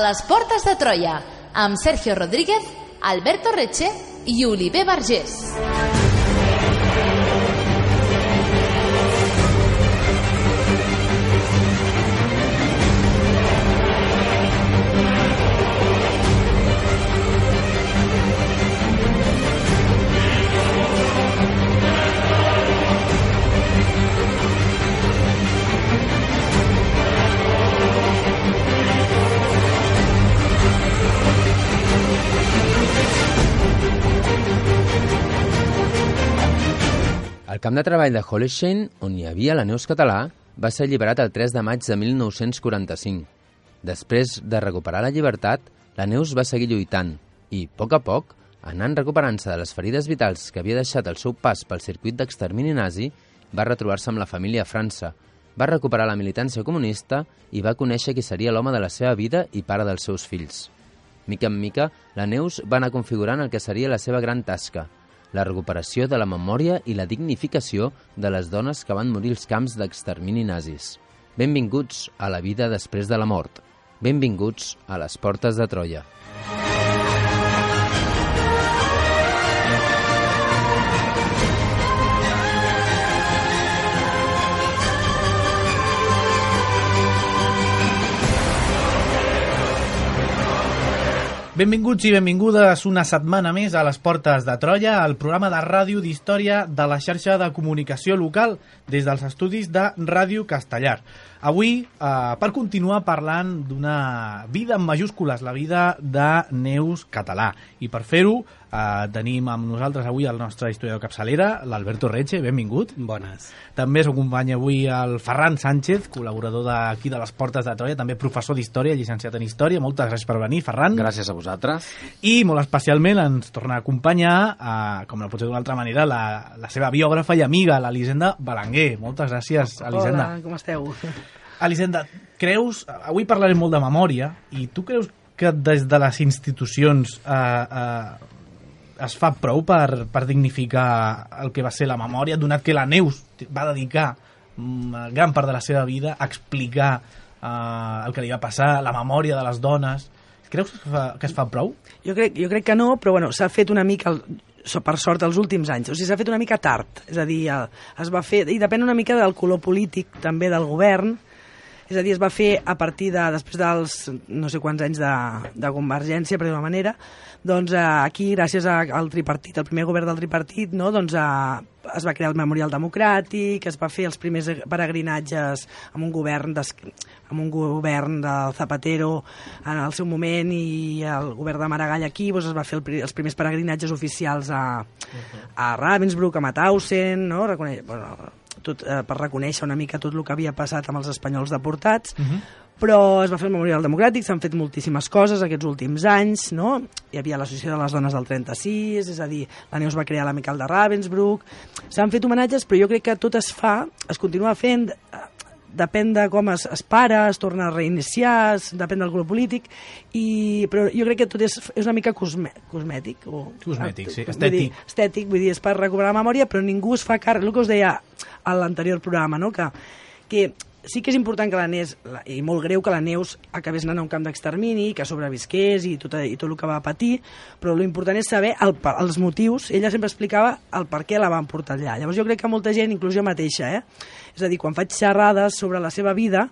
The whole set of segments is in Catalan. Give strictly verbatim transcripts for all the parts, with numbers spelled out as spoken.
les portes de Troia, amb Sergio Rodríguez, Alberto Reche i Oliver Vergés. El camp de treball de Hollersheim, on hi havia la Neus Català, va ser alliberat el tres de maig de mil nou-cents quaranta-cinc. Després de recuperar la llibertat, la Neus va seguir lluitant i, a poc a poc, anant recuperant-se de les ferides vitals que havia deixat el seu pas pel circuit d'extermini nazi, va retrobar-se amb la família a França, va recuperar la militància comunista i va conèixer qui seria l'home de la seva vida i pare dels seus fills. Mica en mica, la Neus va anar configurant el que seria la seva gran tasca, la recuperació de la memòria i la dignificació de les dones que van morir als camps d'extermini nazis. Benvinguts a la vida després de la mort. Benvinguts a les portes de Troia. Benvinguts i benvingudes una setmana més a les Portes de Troia, el programa de ràdio d'història de la xarxa de comunicació local des dels estudis de Ràdio Castellar. Avui, eh, per continuar parlant d'una vida en majúscules, la vida de Neus Català. I per fer-ho, eh, tenim amb nosaltres avui el nostre historiador capçalera, l'Alberto Reche, benvingut. Bones. També ens acompanya avui el Ferran Sánchez, col·laborador d'aquí de les Portes de Troia, també professor d'història, llicenciat en història. Moltes gràcies per venir, Ferran. Gràcies a vosaltres. I molt especialment ens torna a acompanyar, eh, com no pot ser d'una altra manera, la, la seva biògrafa i amiga, l'Elisenda Belenguer. Moltes gràcies, Elisenda. Hola, com esteu? Elisenda, creus, avui parlarem molt de memòria, i tu creus que des de les institucions eh, eh, es fa prou per, per dignificar el que va ser la memòria, donat que la Neus va dedicar mm, gran part de la seva vida a explicar eh, el que li va passar, la memòria de les dones? Creus que es fa, que es fa prou? Jo crec, jo crec que no, però bueno, s'ha fet una mica, el, per sort, els últims anys. O sigui, s'ha fet una mica tard. És a dir, es va fer, i depèn una mica del color polític també del govern. És a dir, es va fer a partir de, després dels no sé quants anys de, de Convergència, per d'una manera, doncs aquí, gràcies al tripartit, el primer govern del tripartit, no, doncs es va crear el Memorial Democràtic, es va fer els primers peregrinatges amb un govern des, amb un govern del Zapatero en el seu moment, i el govern de Maragall aquí, doncs es va fer el, els primers peregrinatges oficials a, a Ravensbrück, a Mauthausen, no? Reconeix, bueno, tot, eh, per reconèixer una mica tot el que havia passat amb els espanyols deportats. Uh-huh. Però es va fer el Memorial Democràtic, s'han fet moltíssimes coses aquests últims anys, no? Hi havia l'Associació de les Dones del trenta-sis, és a dir, la Neus va crear l'Amical de Ravensbrück, s'han fet homenatges, però jo crec que tot es fa, es continua fent, depèn de com es, es para, es torna a reiniciar, depèn del color polític, i, però jo crec que tot és, és una mica cosme, cosmètic. O, cosmètic, sí, estètic. estètic. Vull dir, estètic, vull dir, és per recuperar la memòria, però ningú es fa càrrec, el que us deia a l'anterior programa, no? que, que sí que és important que la Neus, i molt greu que la Neus acabés anant a un camp d'extermini, que sobrevisqués i tot, i tot el que va patir, però l'important és saber el, els motius. Ella sempre explicava el per què la van portar allà. Llavors jo crec que molta gent, inclús jo mateixa, eh? És a dir, quan faig xerrades sobre la seva vida,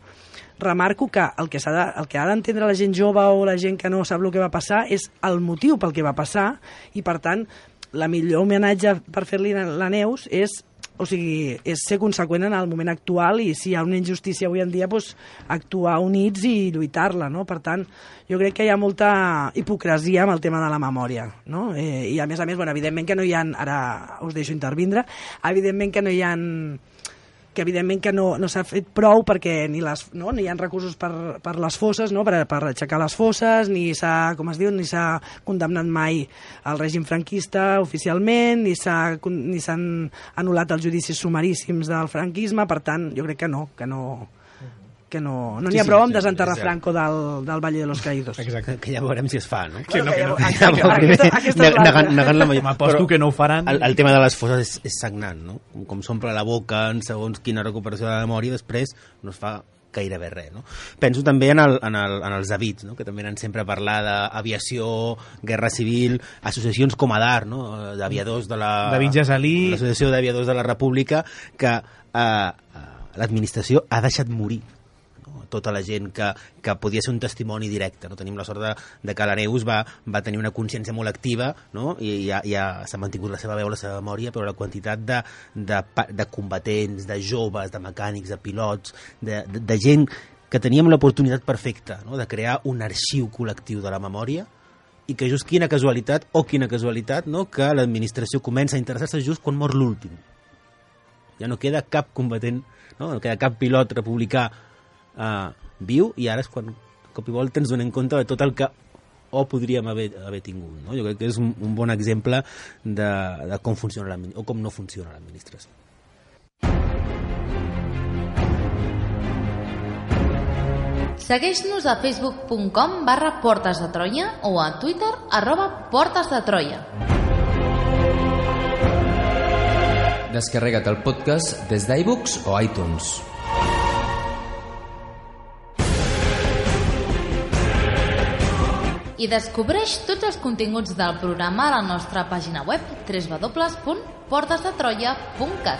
remarco que el que, s'ha de, el que ha d'entendre la gent jove o la gent que no sap el que va passar és el motiu pel que va passar, i per tant la millor homenatge per fer-li la Neus és, o sigui, és ser conseqüent en el moment actual, i si hi ha una injustícia avui en dia, doncs, actuar units i lluitar-la, no? Per tant, jo crec que hi ha molta hipocresia amb el tema de la memòria, no? Eh, I a més a més, bueno, evidentment que no hi ha, ara us deixo intervindre, evidentment que no hi ha que evidentment que no, no s'ha fet prou, perquè ni, les, no, ni hi ha recursos per, per les fosses, no? per, per aixecar les fosses, ni s'ha, com es diu, ni s'ha condemnat mai el règim franquista oficialment, ni s'ha, ni s'han anul·lat els judicis sumaríssims del franquisme. Per tant, jo crec que no, que no, que no, no n'hi ha sí, prou sí, amb desenterrar sí, Franco del, del Valle de los Caídos. Exacte, que ja veurem si es fa, no? Que no, que no. Negant la majoria. M'aposto que no ho faran. El, el tema de les fosses és, és sagnant, no? Com, com s'omple la boca en segons quina recuperació de la memòria, després no es fa gairebé res, no? Penso també en, el, en, el, en els avits, no? Que també eren sempre a parlar d'aviació, guerra civil, associacions com ADAR, no? D'aviadors de la... David Gesalí. L'Associació d'Aviadors de la República, que eh, l'administració ha deixat morir tota la gent que, que podia ser un testimoni directe. No? Tenim la sort de, de que la Neus va, va tenir una consciència molt activa, no? I ja, ja s'ha mantingut la seva veu, la seva memòria, però la quantitat de, de, de combatents, de joves, de mecànics, de pilots, de, de, de gent que teníem l'oportunitat perfecta, no? De crear un arxiu col·lectiu de la memòria, i que just quina casualitat, o quina casualitat, no? Que l'administració comença a interessar-se just quan mor l'últim. Ja no queda cap combatent, no? No queda cap pilot republicà Uh, viu, i ara és quan cop i volta ens donem compte de tot el que o podríem haver, haver tingut, no? Jo crec que és un, un bon exemple de, de com funciona o com no funciona l'administració. Segueix-nos a facebook punt com barra Portes de Troia o a Twitter arroba Portes de Troia. Descarrega't el podcast des d'iBooks o iTunes. I descobreix tots els continguts del programa a la nostra pàgina web w w w punt portes de troia punt cat.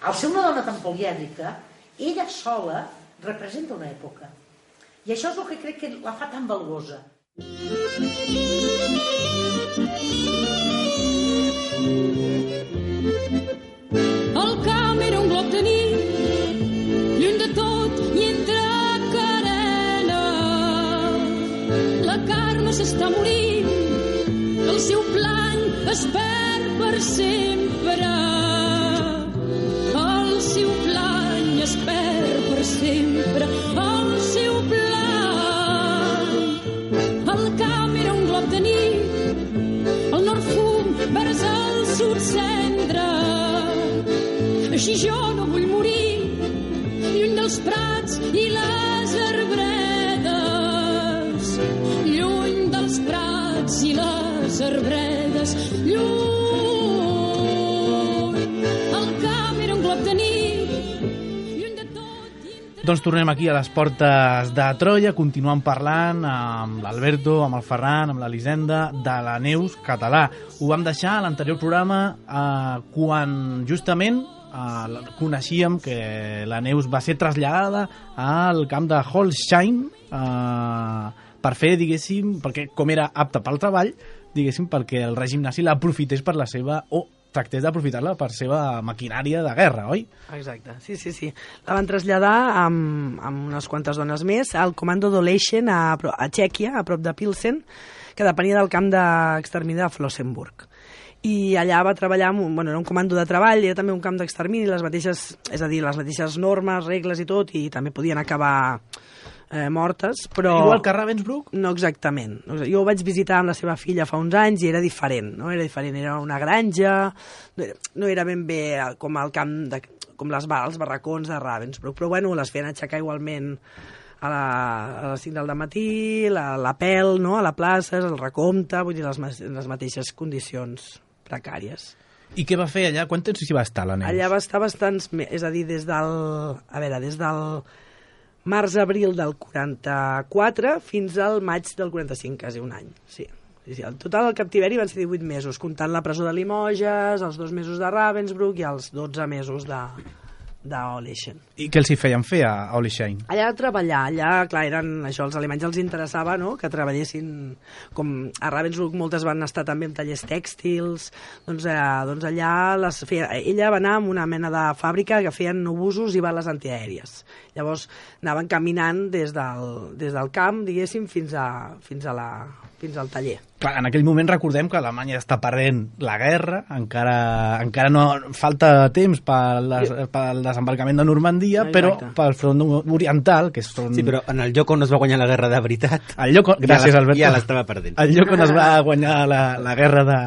Al ser una dona tan polièdrica, ella sola representa una època. I això és el que crec que la fa tan valuosa. El camp era un glob de nit, lluny de tot i entre carena. La Carme s'està morint, el seu plany es perd per sempre. El seu plany es perd per sempre. El seu plany. El camp era un glob de nit, el nord fum vers el sud cendra. Així jo no vull morir, lluny dels prats i les arbredes. Lluny dels prats i les arbredes. Lluny. El camp era un glob de nit, lluny de tot. Doncs tornem aquí a les Portes de Troia, continuant parlant amb l'Alberto, amb el Ferran, amb l'Elisenda, de la Neus Català. Ho vam deixar a l'anterior programa eh, quan justament eh, coneixíem que la Neus va ser traslladada al camp de Holstein eh, per fer, diguéssim, perquè com era apta pel treball, diguéssim, perquè el règim nazi l'aprofités per la seva... o tractés d'aprofitar-la per seva maquinària de guerra, oi? Exacte, sí, sí, sí. La van traslladar amb, amb unes quantes dones més al comando d'Olechen a, a Txèquia, a prop de Pilsen, que depenia del camp d'extermini de Flossenburg. I allà va treballar, amb un, bueno, era un comando de treball, era també un camp d'extermini, les mateixes, és a dir, les mateixes normes, regles i tot, i també podien acabar eh, mortes, però... Igual que a Ravensbrück? No exactament. Jo ho vaig visitar amb la seva filla fa uns anys i era diferent, no? Era diferent, era una granja, no era, no era ben bé com el camp, de, com les, els barracons de Ravensbrück, però bueno, les feien aixecar igualment a, la, a les cinc del matí, la, la pèl, no? A la plaça, el recompte, vull dir, les, les mateixes condicions precàries. I què va fer allà? Quant temps s'hi va estar, la Neus? Allà va estar bastants... És a dir, des del... A veure, des del març-abril del quaranta-quatre fins al maig del quaranta-cinc, quasi un any, sí. Sí, sí. El total del captiveri van ser divuit mesos, comptant la presó de Limoges, els dos mesos de Ravensbrück i els dotze mesos de, d'Olechen. I què els hi feien fer a Olechen? Allà a treballar, allà, clar, eren, això, els alemanys els interessava, no?, que treballessin, com a Ravensbrück moltes van estar també en tallers tèxtils, doncs, eh, doncs allà les feia, ella va anar amb una mena de fàbrica que feien obusos i bales antiaèries. Llavors anaven caminant des del, des del camp, diguéssim, fins, a, fins, a la, fins al taller. Clar, en aquell moment recordem que Alemanya està perdent la guerra, encara, encara no falta temps pel, des, pel desembarcament de Normandia, exacte, però pel front oriental, que és front... Sí, però en el lloc on es va guanyar la guerra de veritat... El lloc on... Gràcies, ja Alberto. Ja l'estava perdent. El lloc on es va guanyar la, la guerra de,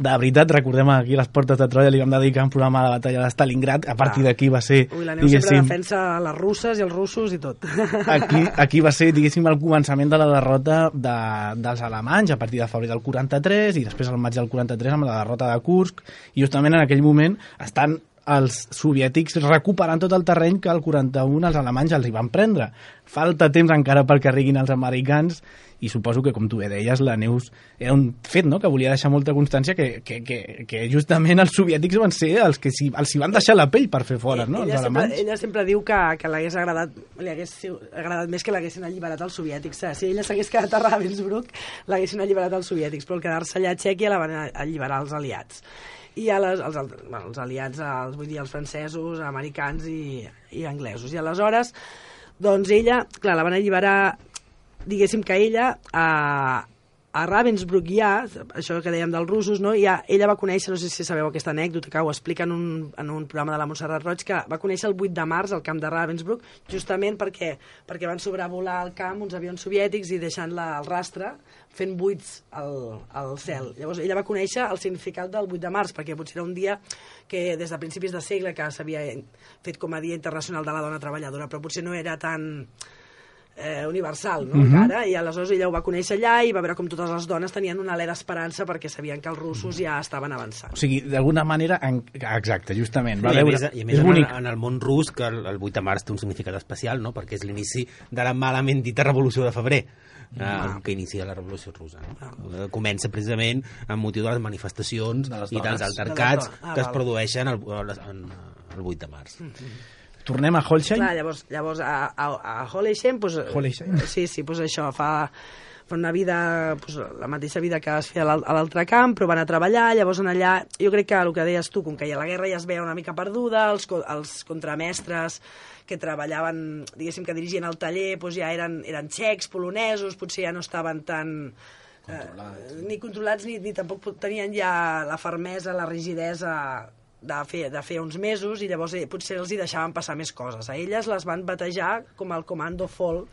de veritat, recordem aquí les portes de Troia, li vam dedicar un programa a la batalla de Stalingrad, a partir d'aquí va ser... Ui, la Neus sempre defensa les russes i els russos i tot. Aquí, aquí va ser, diguéssim, el començament de la derrota de, dels alemanys a partir de febrer del quaranta-tres i després al maig del quaranta-tres amb la derrota de Kursk, i justament en aquell moment estan els soviètics recuperant tot el terreny que el quaranta-un els alemanys els hi van prendre. Falta temps encara perquè arribin els americans i suposo que, com tu bé deies, la Neus era un fet, no?, que volia deixar molta constància que, que, que, que justament els soviètics van ser els que si, els hi van deixar la pell per fer fora, no?, ella els alemanys. Sempre, ella sempre diu que, que l'hagués agradat, li hagués agradat més que l'haguessin alliberat els soviètics. Si ella s'hagués quedat a Ravensbrück, l'haguessin alliberat els soviètics, però el quedar-se allà a Txèquia la van alliberar els aliats. I a les, els, bueno, els aliats, els, vull dir, els francesos, americans i, i anglesos. I aleshores, doncs ella, clar, la van alliberar, diguéssim que ella, a, a Ravensbrück ja, això que dèiem dels russos, no? Ja, ella va conèixer, no sé si sabeu aquesta anècdota, que ho explica en un, en un programa de la Montserrat Roig, que va conèixer el vuit de març al camp de Ravensbrück, justament perquè, perquè van sobrevolar el camp uns avions soviètics i deixant-la al rastre, fent buits al, al cel. Llavors ella va conèixer el significat del vuit de març, perquè potser era un dia que des de principis de segle que s'havia fet com a Dia Internacional de la Dona Treballadora, però potser no era tan eh, universal, no? Mm-hmm. Encara, i aleshores ella ho va conèixer allà i va veure com totes les dones tenien una alè d'esperança perquè sabien que els russos ja estaven avançant. O sigui, d'alguna manera... En... Exacte, justament. Va I a veure... més, i a més en, el, en el món rus, que el, el vuit de març té un significat especial, no?, perquè és l'inici de la malament dita Revolució de Febrer, ah. que inicia la Revolució Russa. No? Ah. Comença precisament amb motiu de les manifestacions de les i dels altercats de ah, que es produeixen el, el, el vuit de març. Mm-hmm. Tornem a Holstein. Clar, llavors, llavors a, a, a Holstein, pues, Holstein. Sí, sí, pues això, fa, fa una vida, pues, la mateixa vida que es feia a l'altre camp, però van a treballar, llavors en allà, jo crec que el que deies tu, com que la guerra ja es veia una mica perduda, els, els contramestres que treballaven, diguéssim, que dirigien el taller, doncs ja eren, eren txecs, polonesos, potser ja no estaven tan... Controlats. Eh, ni controlats, ni, ni tampoc tenien ja la fermesa, la rigidesa de fer, de fer uns mesos, i llavors eh, potser els hi deixaven passar més coses. A elles les van batejar com el Comando Fall,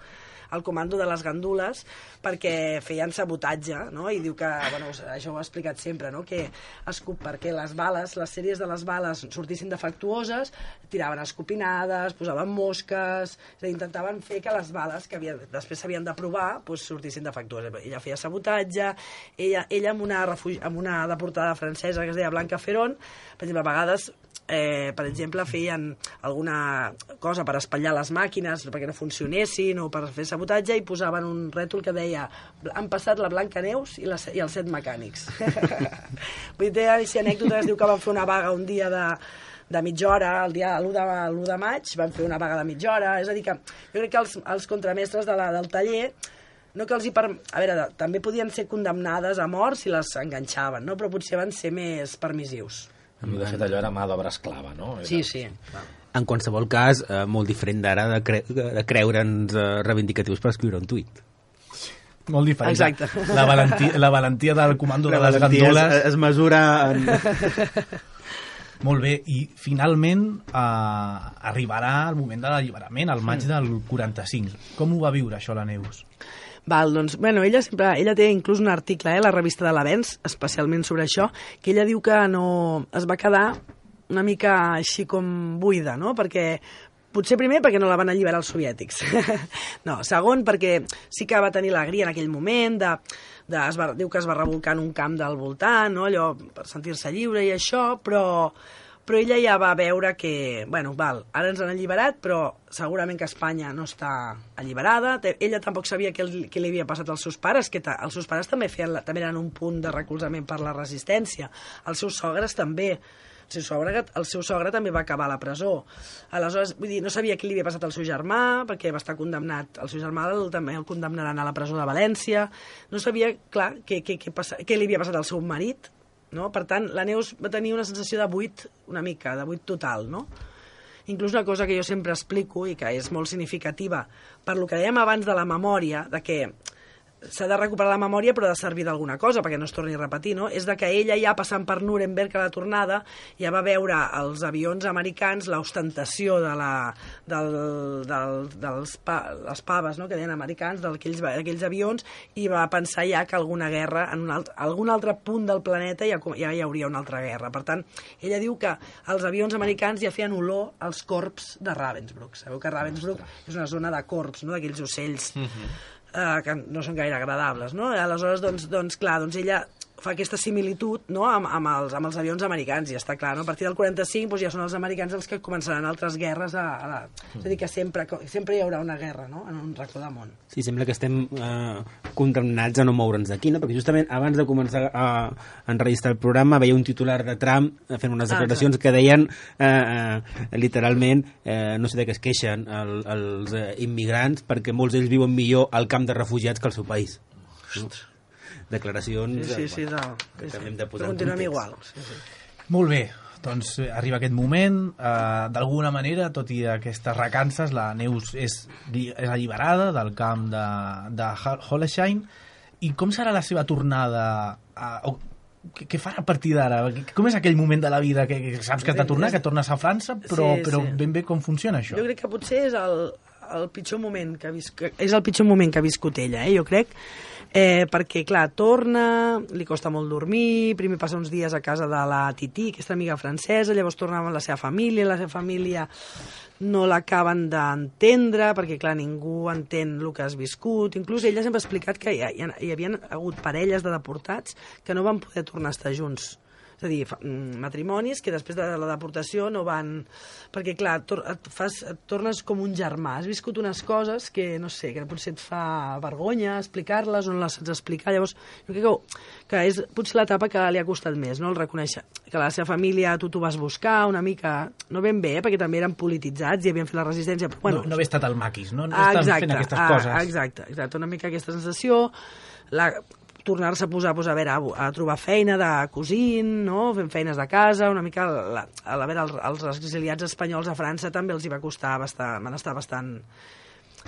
el comando de les gandules, perquè feien sabotatge, no? I diu que, bueno, això ho ha explicat sempre, no?, que escup, perquè les bales, les sèries de les bales sortissin defectuoses, tiraven escopinades, posaven mosques, és a dir, intentaven fer que les bales que havia, després s'havien de provar, doncs, sortissin defectuoses. Ella feia sabotatge, ella, ella amb, una refugi, amb una deportada francesa que es deia Blanca Ferron, per exemple, a vegades Eh, per exemple, feien alguna cosa per espatllar les màquines perquè no funcionessin o per fer sabotatge i posaven un rètol que deia han passat la Blanca Neus i, la, i els set mecànics. Vull dir, si anècdota es diu que van fer una vaga un dia de, de mitja hora, el dia l'u de, l'u de maig van fer una vaga de mitja hora, és a dir que jo crec que els, els contramestres de la, del taller no que els hi per... A veure, també podien ser condemnades a mort si les enganxaven, no? Però potser van ser més permissius. De fet, allò era mà d'obra esclava, no? Era... Sí, sí. En qualsevol cas, eh, molt diferent d'ara de, cre de creure'ns eh, reivindicatius per escriure un tuit. Molt diferent. Exacte. La valentia, la valentia del comando la de les gandoles... Es, es mesura en... Molt bé, i finalment eh, arribarà el moment de l'alliberament, el maig del quaranta-cinc. Com ho va viure això la Neus? Val, doncs, bueno, ella sempre, ella té inclús un article, eh, a la revista de l'Avenç, especialment sobre això, que ella diu que no es va quedar una mica així com buida, no? Perquè potser primer perquè no la van alliberar els soviètics. No, segon perquè sí que va tenir l'alegria en aquell moment, de, de, es va, diu que es va revolcar en un camp del voltant, no? Allò per sentir-se lliure i això, però... però ella ja va veure que, bueno, val, ara ens han alliberat, però segurament que Espanya no està alliberada. Ella tampoc sabia què, què li havia passat als seus pares, que els seus pares també, feien, també eren un punt de recolzament per la resistència. Els seus sogres també. El seu sogre, el seu sogre també va acabar a la presó. Aleshores, vull dir, no sabia què li havia passat al seu germà, perquè va estar condemnat. El seu germà el, també el condemnaran a la presó de València. No sabia, clar, què, què, què, passa, què li havia passat al seu marit. No? Per tant, la Neus va tenir una sensació de buit una mica, de buit total, no? Inclús una cosa que jo sempre explico i que és molt significativa per lo que dèiem abans de la memòria, de que s'ha de recuperar la memòria però ha de servir d'alguna cosa perquè no es torni a repetir, no? És de que ella ja passant per Nuremberg a la tornada ja va veure els avions americans, l'ostentació de la, del, del, dels pa, les paves, no?, que deien americans, d'aquells aquells avions, i va pensar ja que alguna guerra en un altre, algun altre punt del planeta ja, ja hi hauria una altra guerra. Per tant, ella diu que els avions americans ja feien olor als corps de Ravensbrück. Sabeu que Ravensbrück és una zona de corps, no?, d'aquells ocells uh-huh. Uh, que no són gaire agradables, no? Aleshores, doncs, doncs clar, doncs ella fa aquesta similitud, no?, amb, amb, els, amb els avions americans, i ja està clar, no? A partir del quaranta-cinc doncs, ja són els americans els que començaran altres guerres a, a la... és a dir, que sempre, sempre hi haurà una guerra, no?, en un racó del món. Sí, sembla que estem eh, condemnats a no moure'ns d'aquí, no? Perquè justament abans de començar a enregistrar el programa veia un titular de Trump fent unes declaracions ah, que deien eh, eh, literalment, eh, no sé de què es queixen el, els eh, immigrants perquè molts d'ells viuen millor al camp de refugiats que al seu país. Ostres. Declaracions... Sí, sí, sí, bueno, no. que Sí, hem de posar però en continuem context. igual. Sí, sí. Molt bé, doncs eh, arriba aquest moment, eh, d'alguna manera, tot i aquestes recances, la Neus és, és alliberada del camp de, de Hollersheim. I com serà la seva tornada? A, o, què, què farà a partir d'ara? Com és aquell moment de la vida que, que saps que has de tornar, que tornes a França, però, Sí, però sí. ben bé com funciona això? Jo crec que potser és el, el pitjor moment que ha viscut, és el pitjor moment que ha viscut ella, eh, jo crec, eh, perquè, clar, torna, li costa molt dormir, primer passa uns dies a casa de la Titi, aquesta amiga francesa, llavors torna amb la seva família, la seva família no l'acaben d'entendre, perquè, clar, ningú entén el que has viscut. Inclús ella sempre ha explicat que hi, hi, hi havia hagut parelles de deportats que no van poder tornar a estar junts. És a dir, fa, matrimonis que després de la deportació no van... Perquè, clar, tor et, fas, et tornes com un germà. Has viscut unes coses que, no sé, que potser et fa vergonya explicar-les o no les saps explicar. Llavors, jo crec que, que és potser l'etapa que li ha costat més, no?, el reconèixer que la seva família, tu t'ho vas buscar una mica, no ben bé, eh? Perquè també eren polititzats i havien fet la resistència. Però, bueno, no, no haver estat al maquis, no? No ah, estan exacte, fent aquestes ah, coses. Exacte, exacte, una mica aquesta sensació... La, tornar-se a posar pues, a, veure, a, a trobar feina de cosint, no? Fent feines de casa, una mica la, a veure, els, els exiliats espanyols a França també els hi va costar bastant, van estar bastant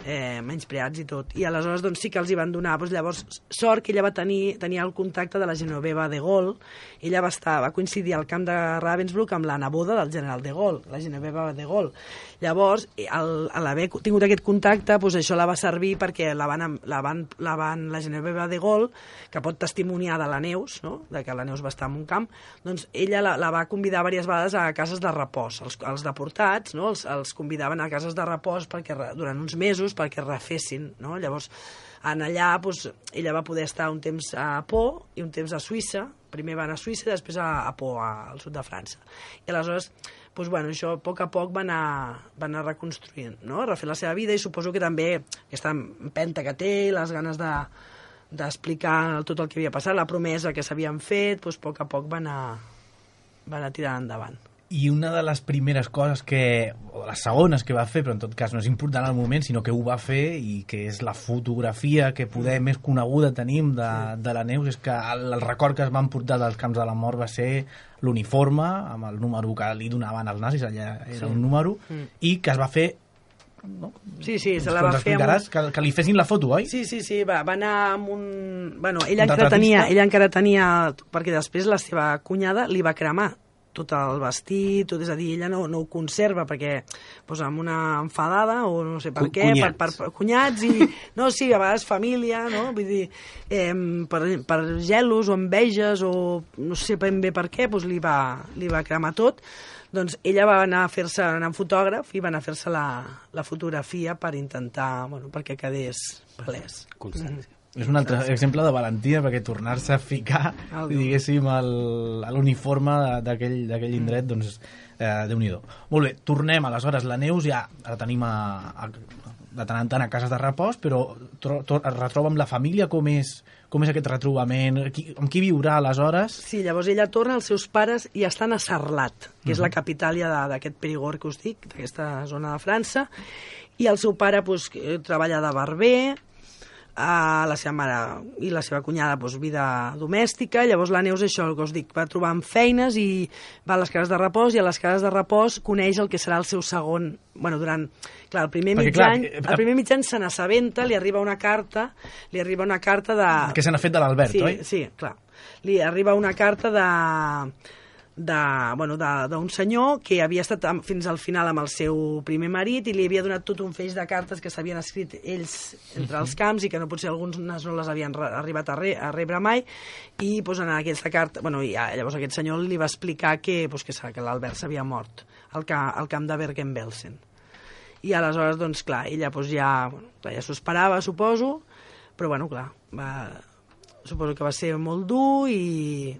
eh, menyspreats i tot. I aleshores doncs, sí que els hi van donar, doncs, llavors sort que ella va tenir tenia el contacte de la Genoveva de Gaulle, ella va, estar, va coincidir al camp de Ravensbrück amb la neboda del general de Gaulle, la Genoveva de Gaulle. Llavors, al, a l'haver tingut aquest contacte, doncs això la va servir perquè la van, la van, la van la Genoveva de Gaulle, que pot testimoniar de la Neus, no?, de que la Neus va estar en un camp, doncs ella la, la va convidar diverses vegades a cases de repòs. Els, els deportats, no?, els, els convidaven a cases de repòs perquè, durant uns mesos perquè refessin, no? Llavors, en allà doncs, ella va poder estar un temps a Pau i un temps a Suïssa. Primer va anar a Suïssa i després a, a Pau, al sud de França. I aleshores, doncs, bueno, això a poc a poc va anar, va anar reconstruint, no?, refent la seva vida, i suposo que també aquesta empenta que té, les ganes de d'explicar tot el que havia passat, la promesa que s'havien fet, doncs a poc a poc va anar, va anar tirant endavant. I una de les primeres coses que, o les segones que va fer, però en tot cas no és important al moment, sinó que ho va fer, i que és la fotografia que poder més coneguda tenim de, de la Neus, és que el, el record que es van portar dels camps de la mort va ser l'uniforme, amb el número que li donaven els nazis, allà era sí. un número, mm. i que es va fer... No? Sí, sí, se la va fer amb un... que, que li fessin la foto, oi? Sí, sí, sí, va, va anar amb un... Bueno, ella encara tenia, ella encara tenia... Perquè després la seva cunyada li va cremar tot el vestit, tot, és a dir, ella no, no ho conserva perquè pues, amb una enfadada o no sé per C què, cunyats. Per, per cunyats i, no, sí, a vegades família, no? Vull dir, eh, per, per gelos o enveges o no sé ben bé per què, pues, li, va, li va cremar tot. Doncs ella va anar a fer-se, anar amb fotògraf i va anar a fer-se la, la fotografia per intentar, bueno, perquè quedés palès. Constància. Mm. És un altre exemple de valentia, perquè tornar-se a ficar, diguéssim, l'uniforme d'aquell indret, doncs, eh, Déu-n'hi-do. Molt bé, tornem, aleshores, la Neus ja la tenim a, a, de tant en tant a cases de repòs, però tro, tro, es retroba amb la família, com és, com és aquest retrobament, qui, amb qui viurà aleshores? Sí, llavors ella torna, els seus pares i estan a Sarlat, que és Uh-huh. la capital ja d'aquest Périgord que us dic, d'aquesta zona de França, i el seu pare pues, treballa de barber. a la seva mare i la seva cunyada doncs, vida domèstica. Llavors la Neus, això, el que us dic, va trobar amb feines i va a les cases de repòs, i a les cases de repòs coneix el que serà el seu segon... Bueno, durant... Clar, el primer mig any, el primer mig any se n'assabenta, li arriba una carta, li arriba una carta de... Que se n'ha fet de l'Albert, sí, oi? Sí, clar. Li arriba una carta de... de, bueno, d'un senyor que havia estat fins al final amb el seu primer marit i li havia donat tot un feix de cartes que s'havien escrit ells entre els camps i que no potser alguns no les havien arribat a, re, a rebre mai, i pues, en aquesta carta, bueno, i llavors aquest senyor li va explicar que, pues, que, que l'Albert s'havia mort al, ca, al camp de Bergen-Belsen. I aleshores, doncs, clar, ella pues, ja, bueno, ja s'ho esperava, suposo, però, bueno, clar, va, suposo que va ser molt dur i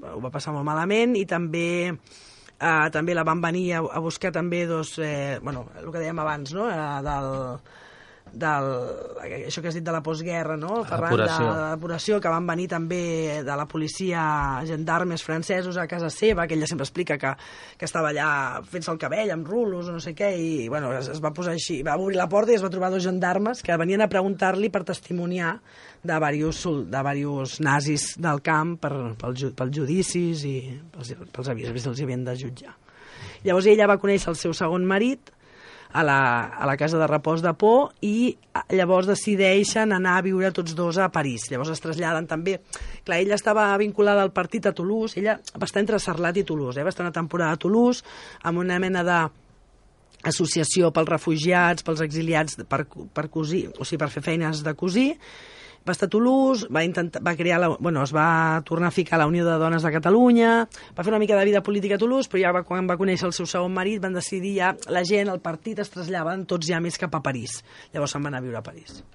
ho va passar molt malament, i també eh, també la van venir a, a buscar també dos, eh, bueno, el que dèiem abans, no?, eh, del, del, això que has dit de la postguerra, no?, Ferran, de, de l'apuració, que van venir també de la policia, gendarmes francesos a casa seva, que ella sempre explica que, que estava allà fent-se el cabell amb rulos o no sé què, i bueno, es, es va posar així, va obrir la porta i es va trobar dos gendarmes que venien a preguntar-li per testimoniar de diversos, de diversos nazis del camp per, pels, pels judicis i pels, pels avisos que els havien de jutjar. Llavors ella va conèixer el seu segon marit a la, a la casa de repòs de Pau, i llavors decideixen anar a viure tots dos a París. Llavors es traslladen també... Clar, ella estava vinculada al partit a Toulouse, ella va estar entre Sarlat i Toulouse, eh? Va estar una temporada a Toulouse amb una mena de associació pels refugiats, pels exiliats per, per cosir, o sigui, per fer feines de cosir. Va estar a Toulouse, va intentar, va crear la, bueno, es va tornar a ficar a la Unió de Dones de Catalunya, va fer una mica de vida política a Toulouse, però ja va, quan va conèixer el seu segon marit van decidir ja, la gent, el partit es trasllaven tots ja més cap a París. Llavors se'n van anar a viure a París.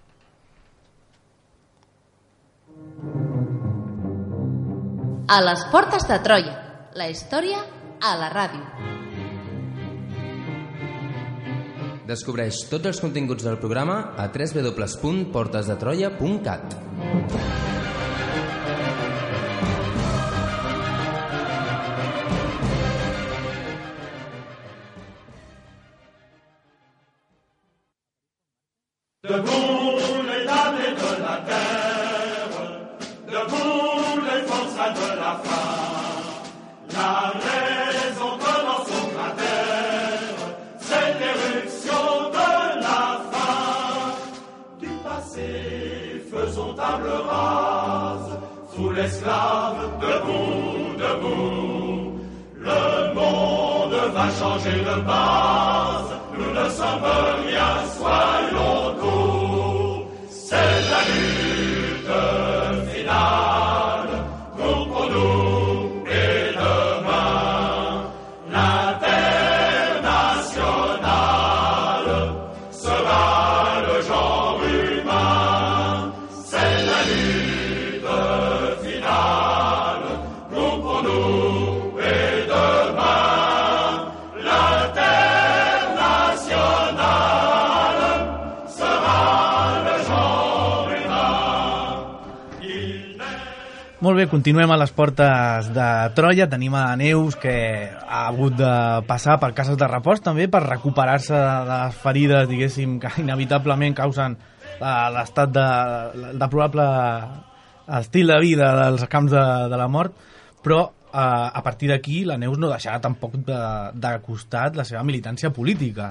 A les portes de Troia, la història a la ràdio. Descobreix tots els continguts del programa a w w w punt portes de troia punt cat. Debout les damnés de la terre, debout les forçats de la faim, la raison commence au cratère, c'est l'éruption de la faim. Du passé, faisons table rase, sous l'esclave, debout, debout. Le monde va changer de base, nous ne sommes rien, soyons courts. C'est la lutte finale, nous pour nous et demain. L'international sera le genre humain. C'est la lutte finale, nous pour nous et demain. L'international sera le genre humain. Il n'est Molt bé, continuem a les portes de Troia. Tenim a Neus, que ha hagut de passar per cases de repòs també per recuperar-se de les ferides, diguéssim, que inevitablement causen eh, l'estat de, de probable estil de vida dels camps de, de la mort, però eh, a partir d'aquí la Neus no deixarà tampoc de, de costat la seva militància política.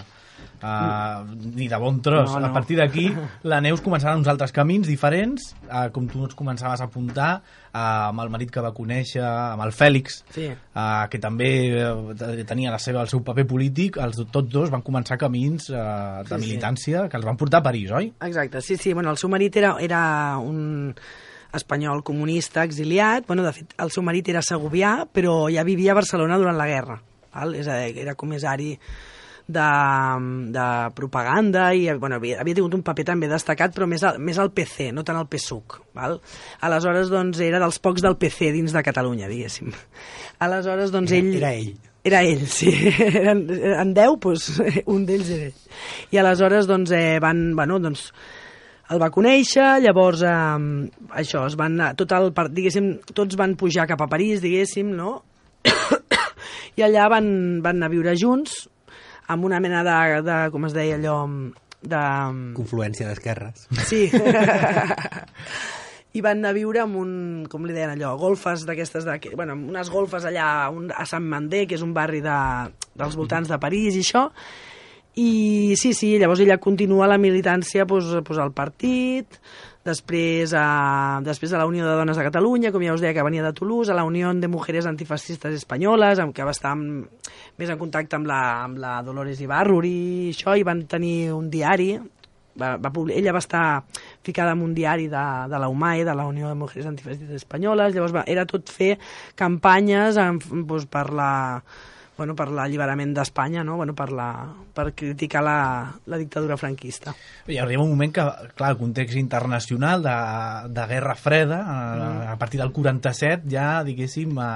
Uh, ni de bon tros. No, no. A partir d'aquí la Neus començarà uns altres camins diferents, uh, com tu ens començaves a apuntar, uh, amb el marit que va conèixer, amb el Fèlix, Sí. uh, que també uh, tenia la seva, el seu paper polític. Els, tots dos van començar camins uh, de Sí, sí. militància que els van portar a París, oi? Exacte, sí, sí. Bueno, el seu marit era, era un espanyol comunista exiliat. Bueno, de fet, el seu marit era segovià, però ja vivia a Barcelona durant la guerra. Val? És a dir, era comissari de, de propaganda i bueno, havia, havia tingut un paper també destacat, però més, al, més al P C, no tant al P S U C. Val? Aleshores, doncs, era dels pocs del P C dins de Catalunya, diguéssim. Aleshores, doncs, ell... Era ell. Era ell, sí. Eren, en deu, doncs, un d'ells era ell. I aleshores, doncs, eh, van, bueno, doncs, el va conèixer, llavors, eh, això, es van, tot el, diguéssim, tots van pujar cap a París, diguéssim, no? I allà van, van anar a viure junts, amb una mena de, de com es deia allò, de... Confluència d'esquerres. Sí. I van anar a viure amb un, com li deien allò, golfes d'aquestes, de, bueno, unes golfes allà un, a Sant Mandé, que és un barri de, dels voltants de París i això. I sí, sí, llavors ella continua la militància pues, pues, al partit, després a, després a la Unió de Dones de Catalunya, com ja us deia, que venia de Toulouse, a la Unió de Mujeres Antifascistes Espanyoles, amb que va estar amb, més en contacte amb la, amb la Dolores Ibarruri i això, i van tenir un diari, va, va publi- ella va estar ficada en un diari de, de la U M A E, de la Unió de Mujeres Antifascistes Espanyoles, llavors va, era tot fer campanyes en, doncs, per la... bueno, per l'alliberament d'Espanya, no? Bueno, per, la, per criticar la, la dictadura franquista. I arriba un moment que, clar, el context internacional de, de Guerra Freda, a, a partir del quaranta-set, ja, diguéssim, a,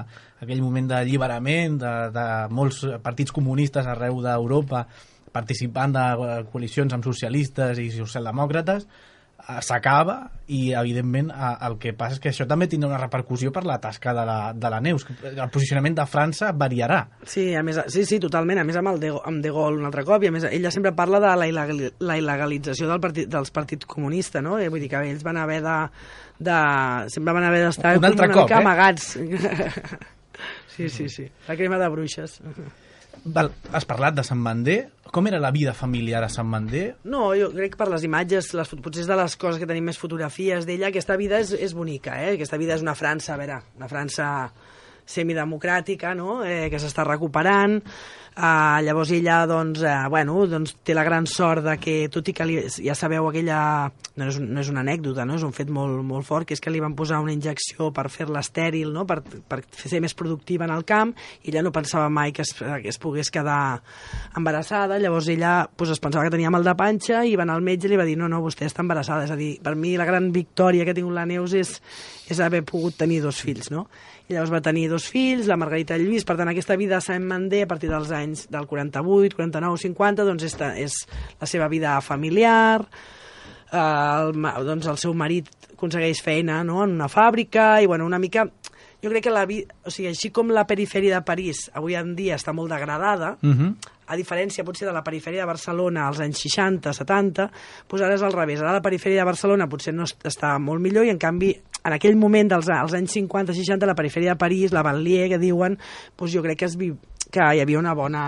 aquell moment d'alliberament de, de molts partits comunistes arreu d'Europa participant de coalicions amb socialistes i socialdemòcrates, s'acaba i evidentment el que passa és que això també tindrà una repercussió per la tasca de la, de la Neus. El posicionament de França variarà. Sí, a més, sí, sí, totalment, a més amb, el de, amb De Gaulle un altre cop, i a més ella sempre parla de la, il·legal, la il·legalització del partit, dels partits comunistes, no? I vull dir que ells van haver de, de sempre van haver d'estar un altre una cop, mica eh? amagats. Sí, sí, sí, la crema de bruixes. Val, has parlat de Sant Mandé. Com era la vida familiar a Sant Mandé? No, jo crec que per les imatges, les, potser és de les coses que tenim més fotografies d'ella, aquesta vida és, és bonica, eh? Aquesta vida és una França, a veure, una França semidemocràtica, no? Eh, que s'està recuperant. Uh, llavors ella doncs, uh, bueno, doncs té la gran sort de que, tot i que li, ja sabeu aquella, no és, no és una anècdota, no? És un fet molt, molt fort, que és que li van posar una injecció per fer-la estèril, no? per, per ser més productiva en el camp, i ella no pensava mai que es, que es pogués quedar embarassada. Llavors ella pues, es pensava que tenia mal de panxa i va anar al metge i li va dir no, no, vostè està embarassada. És a dir, per mi la gran victòria que ha tingut la Neus és, és haver pogut tenir dos fills, no? I llavors va tenir dos fills, la Margarita i el Lluís. Per tant, aquesta vida a Sant Mandé, a partir dels anys del quaranta-vuit, quaranta-nou, cinquanta, doncs és, és la seva vida familiar. Eh, el, doncs el seu marit aconsegueix feina, no?, en una fàbrica, i bueno, una mica... Jo crec que la vida... O sigui, així com la perifèria de París avui en dia està molt degradada, uh-huh. a diferència potser de la perifèria de Barcelona als anys seixanta, setanta, doncs ara és al revés. Ara la perifèria de Barcelona potser no està molt millor, i en canvi en aquell moment dels als anys cinquanta seixanta la perifèria de París, la Banlieue que diuen, doncs jo crec que, es vi... que hi havia una bona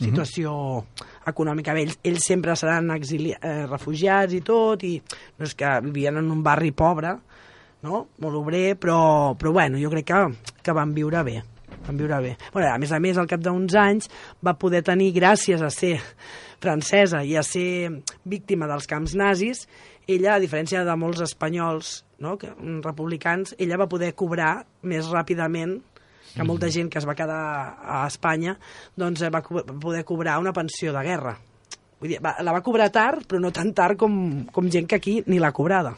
situació uh-huh. econòmica. Ells, ells sempre seran exili... eh, refugiats i tot, i no és que vivien en un barri pobre, no? Molt obrer, però, però bueno, jo crec que, que van viure bé. Van viure bé. Bueno, a més a més, al cap d'uns anys va poder tenir, gràcies a ser francesa i a ser víctima dels camps nazis, ella, a diferència de molts espanyols, no?, que, republicans, ella va poder cobrar més ràpidament que molta gent que es va quedar a Espanya, doncs va poder cobrar una pensió de guerra. Vull dir, va, la va cobrar tard, però no tan tard com, com gent que aquí ni l'ha cobrada.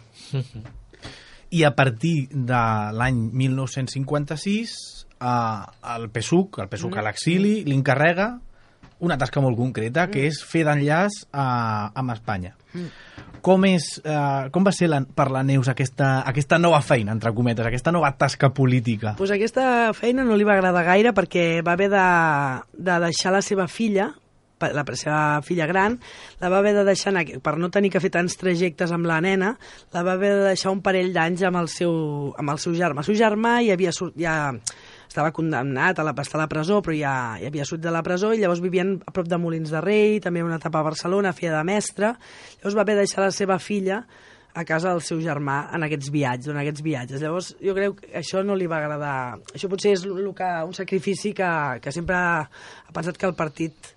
I a partir de l'any mil nou-cents cinquanta-sis, eh, el P S U C, el P S U C a l'exili, li encarrega una tasca molt concreta, que és fer d'enllaç eh, amb Espanya. Com, és, eh, com va ser la, per la Neus aquesta, aquesta nova feina, entre cometes, aquesta nova tasca política? Pues aquesta feina no li va agradar gaire, perquè va haver de, de deixar la seva filla, la seva filla gran, la va haver de deixar, per no tenir que fer tants trajectes amb la nena, la va haver de deixar un parell d'anys amb el seu, amb el seu germà. El seu germà ja havia sort, ja estava condemnat a la, a estar a la presó, però ja, ja havia sortit de la presó, i llavors vivien a prop de Molins de Rei, també una etapa a Barcelona, feia de mestre. Llavors va haver de deixar la seva filla a casa del seu germà en aquests viatges, en aquests viatges. Llavors, jo crec que això no li va agradar. Això potser és el que, un sacrifici que, que sempre ha pensat que el partit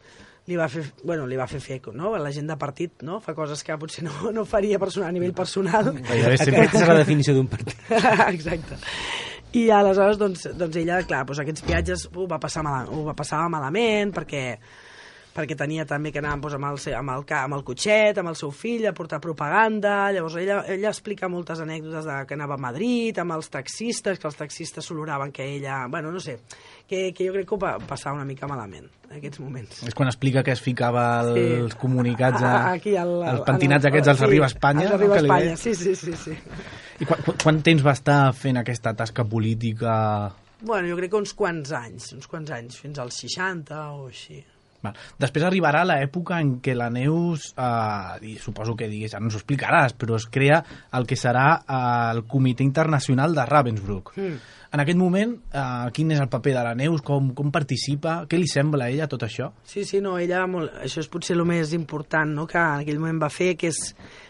li va fer, bueno, li va fer fer, no? La gent de partit, no? Fa coses que potser no, no faria personal, a nivell personal. Aquesta és la definició d'un partit. Exacte. I aleshores, doncs, doncs ella, clar, doncs aquests viatges ho va passar, mal, ho va passar malament, perquè perquè tenia també que anar doncs, amb, el, amb, el, amb el cotxet, amb el seu fill, a portar propaganda. Llavors ella, ella explica moltes anècdotes de que anava a Madrid, amb els taxistes, que els taxistes s'oloraven que ella... Bueno, no sé, que, que jo crec que ho va passar una mica malament, en aquests moments. És quan explica que es ficava els sí. comunicats, a, Aquí al, els pentinats el, aquests als sí, Arriba Espanya. Els Arriba Espanya, sí, sí, sí, sí. I quan, quan temps va estar fent aquesta tasca política? Bueno, jo crec que uns quants anys, uns quants anys, fins als seixanta o així. Val. Després arribarà l'època en què la Neus, eh, i suposo que digues, ja no ens ho explicaràs, però es crea el que serà eh, el Comitè Internacional de Ravensbrück. Mm. En aquest moment, eh, quin és el paper de la Neus? Com, com participa? Què li sembla a ella tot això? Sí, sí, no, ella, molt, això és potser el més important, no?, que en aquell moment va fer, que és,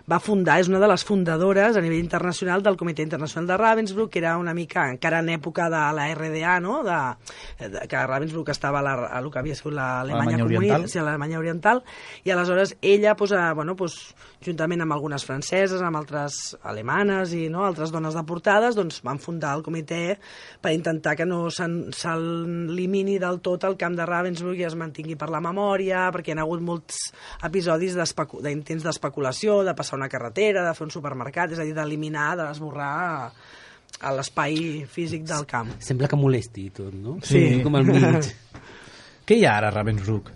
va fundar, és una de les fundadores a nivell internacional del Comitè Internacional de Ravensbrück, que era una mica, encara en època de la R D A, no?, de, de, que Ravensbrück estava a, la, a lo que havia sigut l'Alemanya comunista, sí, l'Alemanya Oriental, i aleshores ella, pues, a, bueno, pues, juntament amb algunes franceses, amb altres alemanes i no, altres dones deportades, doncs van fundar el comitè per intentar que no s'elimini del tot el camp de Ravensbrück i es mantingui per la memòria, perquè hi ha hagut molts episodis d'intents d'especulació, de passar una carretera, de fer un supermercat, és a dir, d'eliminar, d'esborrar a l'espai físic del camp. Sembla que molesti tot, no? Sí. Com al mig. Què hi ha ara a Ravensbrück?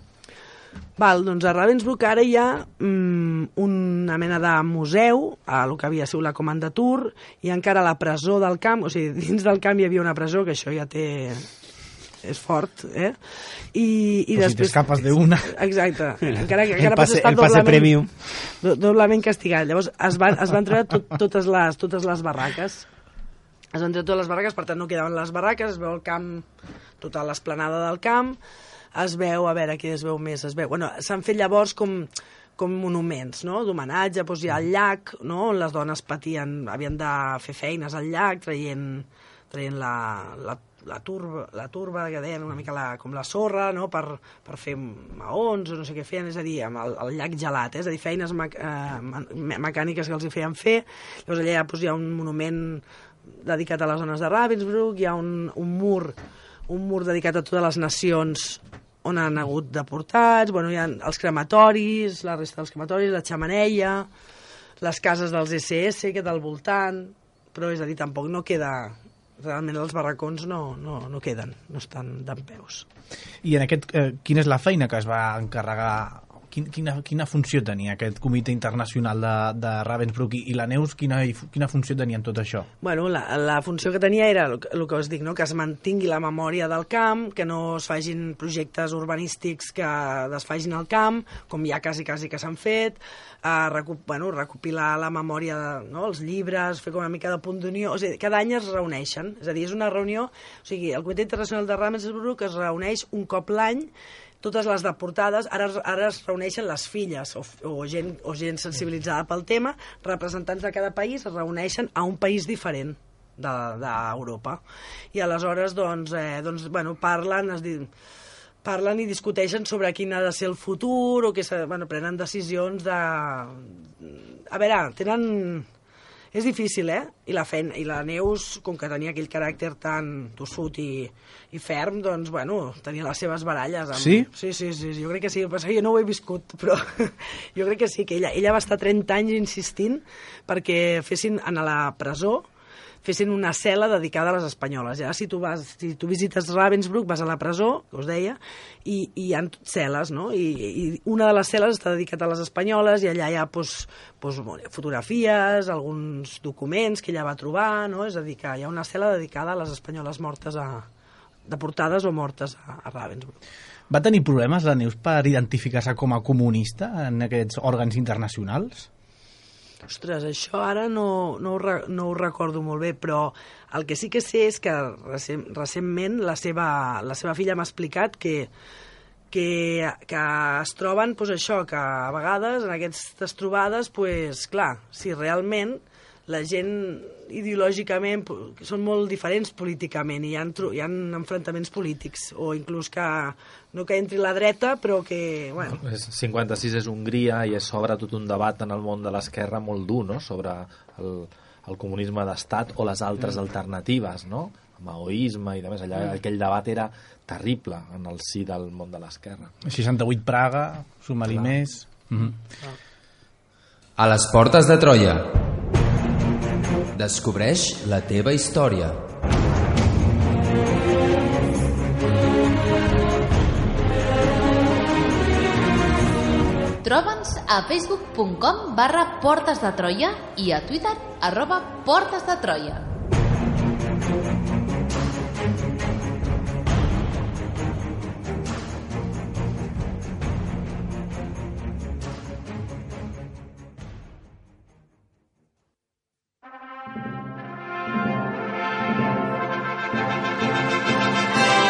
Val, doncs a Ravensbrück ara hi ha mm, una mena de museu, a el que havia sigut la Commandatur, i encara la presó del camp, o sigui, dins del camp hi havia una presó, que això ja té... és fort, eh? I, i pues després... si t'escapes d'una... Exacte. Encara, encara el passe, estar el passe doblement, premium. do, doblement castigat. Llavors es van, es van treure tot, totes, les, totes les barraques. Es van treure totes les barraques, per tant no quedaven les barraques, es veu el camp, tota l'esplanada del camp, es veu, a veure, què es veu més, es veu... Bueno, s'han fet llavors com, com monuments, no?, d'homenatge, doncs hi ha el llac, no?, on les dones patien, havien de fer feines al llac, traient, traient la, la, la, turba, la turba, que deien una mica la, com la sorra, no?, per, per fer maons o no sé què feien, és a dir, amb el, el llac gelat, eh? És a dir, feines me, eh, mecàniques que els hi feien fer. Llavors allà doncs, hi ha un monument dedicat a les dones de Ravensbrück, hi ha un, un mur un mur dedicat a totes les nacions on han hagut deportats, bueno, hi ha els crematoris, la resta dels crematoris, la xamaneia, les cases dels esse esse que del voltant, però és a dir, tampoc no queda... Realment els barracons no, no, no queden, no estan dempeus. I en aquest, eh, quina és la feina que es va encarregar... Quina, quina funció tenia aquest comitè internacional de, de Ravensbrück i, i la Neus, quina, quina funció tenia en tot això? Bueno, la, la funció que tenia era el, el que us dic, no? Que es mantingui la memòria del camp, que no es fagin projectes urbanístics que desfagin el camp, com ja quasi, quasi que s'han fet, eh, recu bueno, recopilar la memòria, de, no? Els llibres, fer com una mica de punt d'unió, o sigui, cada any es reuneixen, és a dir, és una reunió, o sigui, el Comitè Internacional de Ravensbrück es reuneix un cop l'any, totes les deportades, ara, ara es reuneixen les filles o, o, gent, o gent sensibilitzada pel tema, representants de cada país es reuneixen a un país diferent d'Europa. I aleshores doncs, eh, doncs, bueno, parlen, es diu, parlen i discuteixen sobre quin ha de ser el futur o que bueno, prenen decisions de... A veure, tenen... És difícil, eh? I la, feina, i la Neus, com que tenia aquell caràcter tan tossut i, i ferm, doncs, bueno, tenia les seves baralles. Amb... Sí? Sí, sí, sí, jo crec que sí. Però jo no ho he viscut, però jo crec que sí, que ella, ella va estar trenta anys insistint perquè fessin a la presó fessin una cel·la dedicada a les espanyoles. Ja, si tu vas, si tu visites Ravensbrück, vas a la presó, que us deia, i, i hi ha cel·les, no? I, i una de les cel·les està dedicada a les espanyoles i allà hi ha pues, pues, fotografies, alguns documents que ella va trobar, no? És a dir, que hi ha una cel·la dedicada a les espanyoles mortes a, deportades o mortes a, a Ravensbrück. Va tenir problemes la Neus per identificar-se com a comunista en aquests òrgans internacionals? Ostres, això ara no, no, ho, no ho recordo molt bé, però el que sí que sé és que recent, recentment la seva, la seva filla m'ha explicat que, que, que es troben, doncs això, que a vegades en aquestes trobades, doncs, clar, si realment la gent ideològicament són molt diferents políticament i hi ha, hi ha enfrontaments polítics o inclús que no que entri la dreta però que... Bueno. cinquanta-sis és Hongria i s'obre tot un debat en el món de l'esquerra molt dur, no?, sobre el, el comunisme d'estat o les altres mm. alternatives, no?, maoisme i demés. Allà mm. aquell debat era terrible en el si del món de l'esquerra. seixanta-vuit Praga, suma-li més... Mm-hmm. A les portes de Troia. Descobreix la teva història. Troba'ns a facebook punt com barra Portes de Troia i a Twitter arroba Portes de Troia.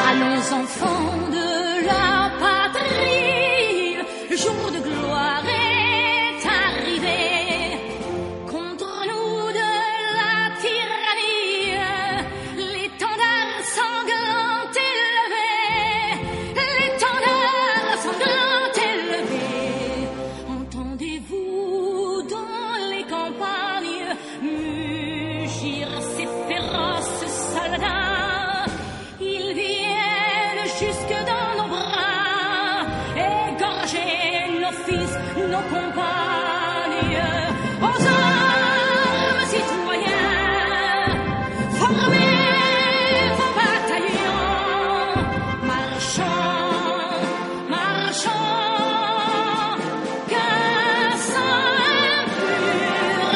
Allons enfants de la patrie, le jour de gloire est arrivé. Contre nous de la tyrannie, l'étendard sanglant élevé, l'étendard sanglant élevé. Entendez-vous dans les campagnes mugir ces féroces soldats? Ils viennent jusque dans nos bras, égorger nos fils, nos compagnes. Aux armes, citoyens, formez vos bataillons, marchons, marchons, qu'un sang impur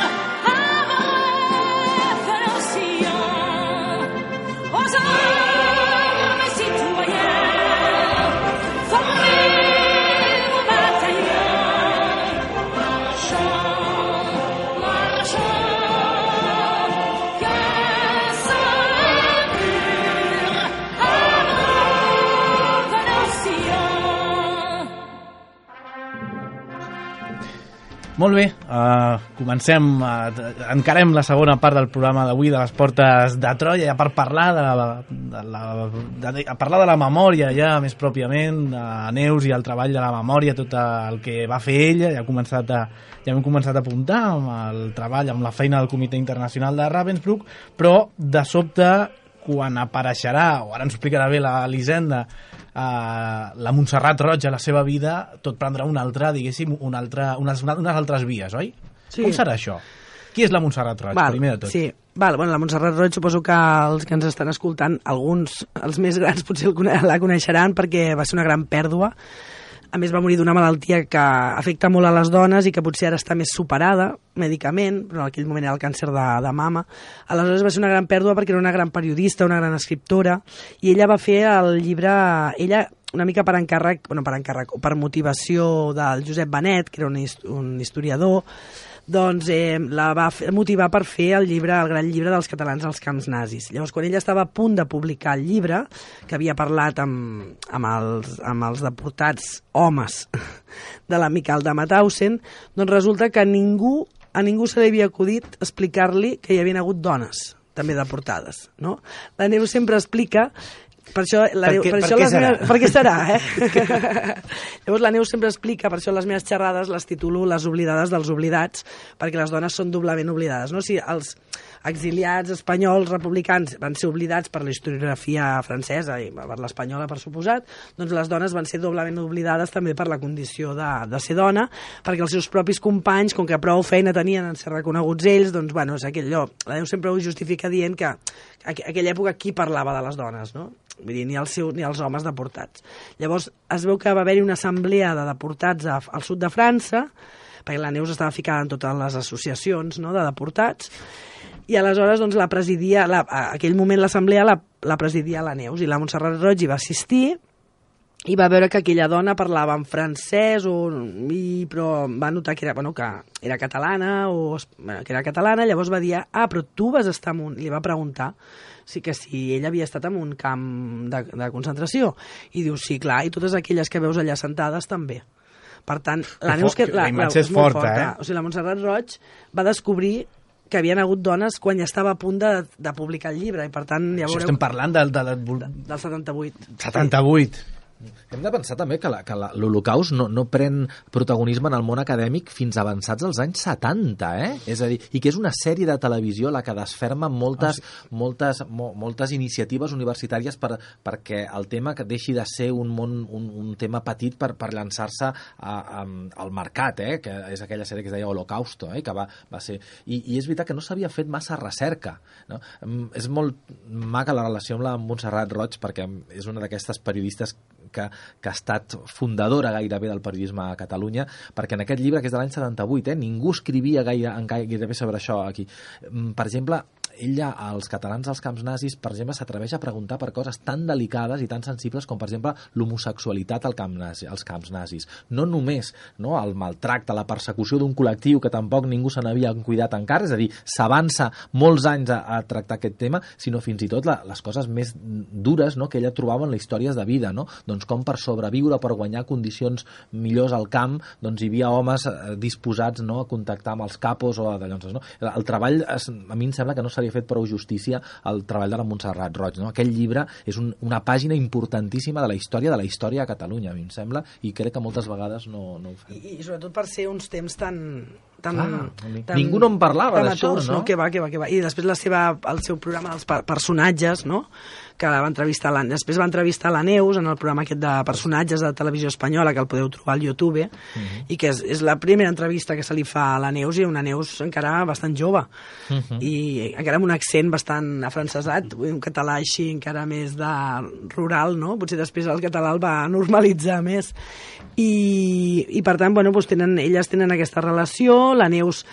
abreuve nos sillons. Aux armes, citoyens, formez vos bataillons, marchons, marchons, qu'un sang impur abreuve nos sillons. Molt bé, uh, comencem, uh, encarem la segona part del programa d'avui de les Portes de Troia, ja per parlar de la, de la, de, a parlar de la memòria ja més pròpiament, a Neus i el treball de la memòria, tot el que va fer ella, ja, ha començat a, ja hem començat a apuntar amb el treball, amb la feina del Comitè Internacional de Ravensbrück, però de sobte, quan apareixerà, o ara ens explicarà bé l'Elisenda, Uh, la Montserrat Roig a la seva vida, tot prendrà una altra, diguéssim, una altra, unes, unes altres vies, oi? Sí. Com serà això? Qui és la Montserrat Roig, Val, primer de tot? Sí, Val, bueno, la Montserrat Roig suposo que els que ens estan escoltant, alguns, els més grans, potser la coneixeran perquè va ser una gran pèrdua. A més, va morir d'una malaltia que afecta molt a les dones i que potser ara està més superada mèdicament, però en aquell moment era el càncer de, de mama. Aleshores va ser una gran pèrdua perquè era una gran periodista, una gran escriptora, i ella va fer el llibre... Ella, una mica per encàrrec, bueno, per encàrrec, o per motivació del Josep Benet, que era un, hist un historiador, doncs eh, la va fer, motivar per fer el llibre, el gran llibre dels catalans als camps nazis. Llavors, quan ella estava a punt de publicar el llibre, que havia parlat amb, amb, els, amb els deportats homes de la Miquel de Mauthausen, doncs resulta que ningú, a ningú se li havia acudit explicar-li que hi havia hagut dones també deportades, no? La Neus sempre explica. Per això, la per Neus, què, per per això què les serà? meves, per què serà, eh? Llavors la Neus sempre explica, per això les meves xerrades les titulo Les oblidades dels oblidats, perquè les dones són doblement oblidades, no? Si els exiliats espanyols republicans van ser oblidats per la historiografia francesa i per l'espanyola, per suposat, doncs les dones van ser doblement oblidades també per la condició de, de ser dona, perquè els seus propis companys, com que prou feina tenien en ser reconeguts ells, doncs, bueno, és aquell lloc. La Neus sempre ho justifica dient que a aquella època qui parlava de les dones, no? Vull dir, ni, el seu, ni els homes deportats. Llavors es veu que va haver-hi una assemblea de deportats a, al sud de França, perquè la Neus estava ficada en totes les associacions, no?, de deportats, i aleshores doncs, la presidia, la, a aquell moment l'assemblea la, la presidia la Neus, i la Montserrat Roig hi va assistir, i va veure que aquella dona parlava en francès, o, i, però va notar que era, bueno, que era catalana, o bueno, que era catalana, llavors va dir, ah, però tu vas estar en un... I li va preguntar sí que si ella havia estat en un camp de, de concentració, i diu, sí, clar, i totes aquelles que veus allà sentades també. Per tant, la Que Neus... fo- Que, la, la imatge és molt forta, eh? O sigui, la Montserrat Roig va descobrir que havien hagut dones quan ja estava a punt de, de publicar el llibre, i per tant, ja Això veureu... estem parlant del... del, del, de, del setanta-vuit. setanta-vuit. Hem de pensar també que la- que la- l'Holocaust no, no pren protagonisme en el món acadèmic fins avançats als anys setanta, eh? És a dir, i que és una sèrie de televisió la que desferma moltes, Ah, moltes, mo, moltes iniciatives universitàries per, perquè el tema que deixi de ser un, món, un, un tema petit per, per llançar-se a- a- al mercat, eh? Que és aquella sèrie que es deia Holocausto, eh? Que va, va ser... I, I és veritat que no s'havia fet massa recerca, no? Mm, És molt maca la relació amb la Montserrat Roig, perquè és una d'aquestes periodistes que, que ha estat fundadora gairebé del periodisme a Catalunya, perquè en aquest llibre, que és de l'any setanta-vuit, eh, ningú escrivia gaire, en gairebé sobre això aquí. Per exemple, ella, als catalans als camps nazis, per exemple, s'atreveix a preguntar per coses tan delicades i tan sensibles com, per exemple, l'homosexualitat al camp nazi, als camps nazis. No només no, el maltracte, la persecució d'un col·lectiu que tampoc ningú se n'havia cuidat encara, és a dir, s'avança molts anys a, a tractar aquest tema, sinó fins i tot la, les coses més dures, no?, que ella trobava en les històries de vida, no? Doncs com per sobreviure, per guanyar condicions millors al camp, doncs hi havia homes eh, disposats, no?, a contactar amb els capos o de llavors, no? El treball, es, a mi em sembla que no s'ha fet prou justícia al treball de la Montserrat Roig, no? Aquell llibre és un, una pàgina importantíssima de la història de la història a Catalunya, a mi em sembla, i crec que moltes vegades no, no ho fem. I, i sobretot per ser uns temps tan... tan, Clar, tan ningú no en parlava d'això, no? no? Que va, que va, que va. I després la seva, el seu programa dels personatges, no?, que va entrevistar la, després va entrevistar la Neus en el programa aquest de personatges de televisió espanyola, que el podeu trobar al YouTube, uh -huh. i que és, és la primera entrevista que se li fa a la Neus, i una Neus encara bastant jove, uh -huh. i encara amb un accent bastant afrancesat, un català així encara més de rural, no? Potser després el català el va normalitzar més. I, i per tant, bueno, doncs tenen, elles tenen aquesta relació, la Neus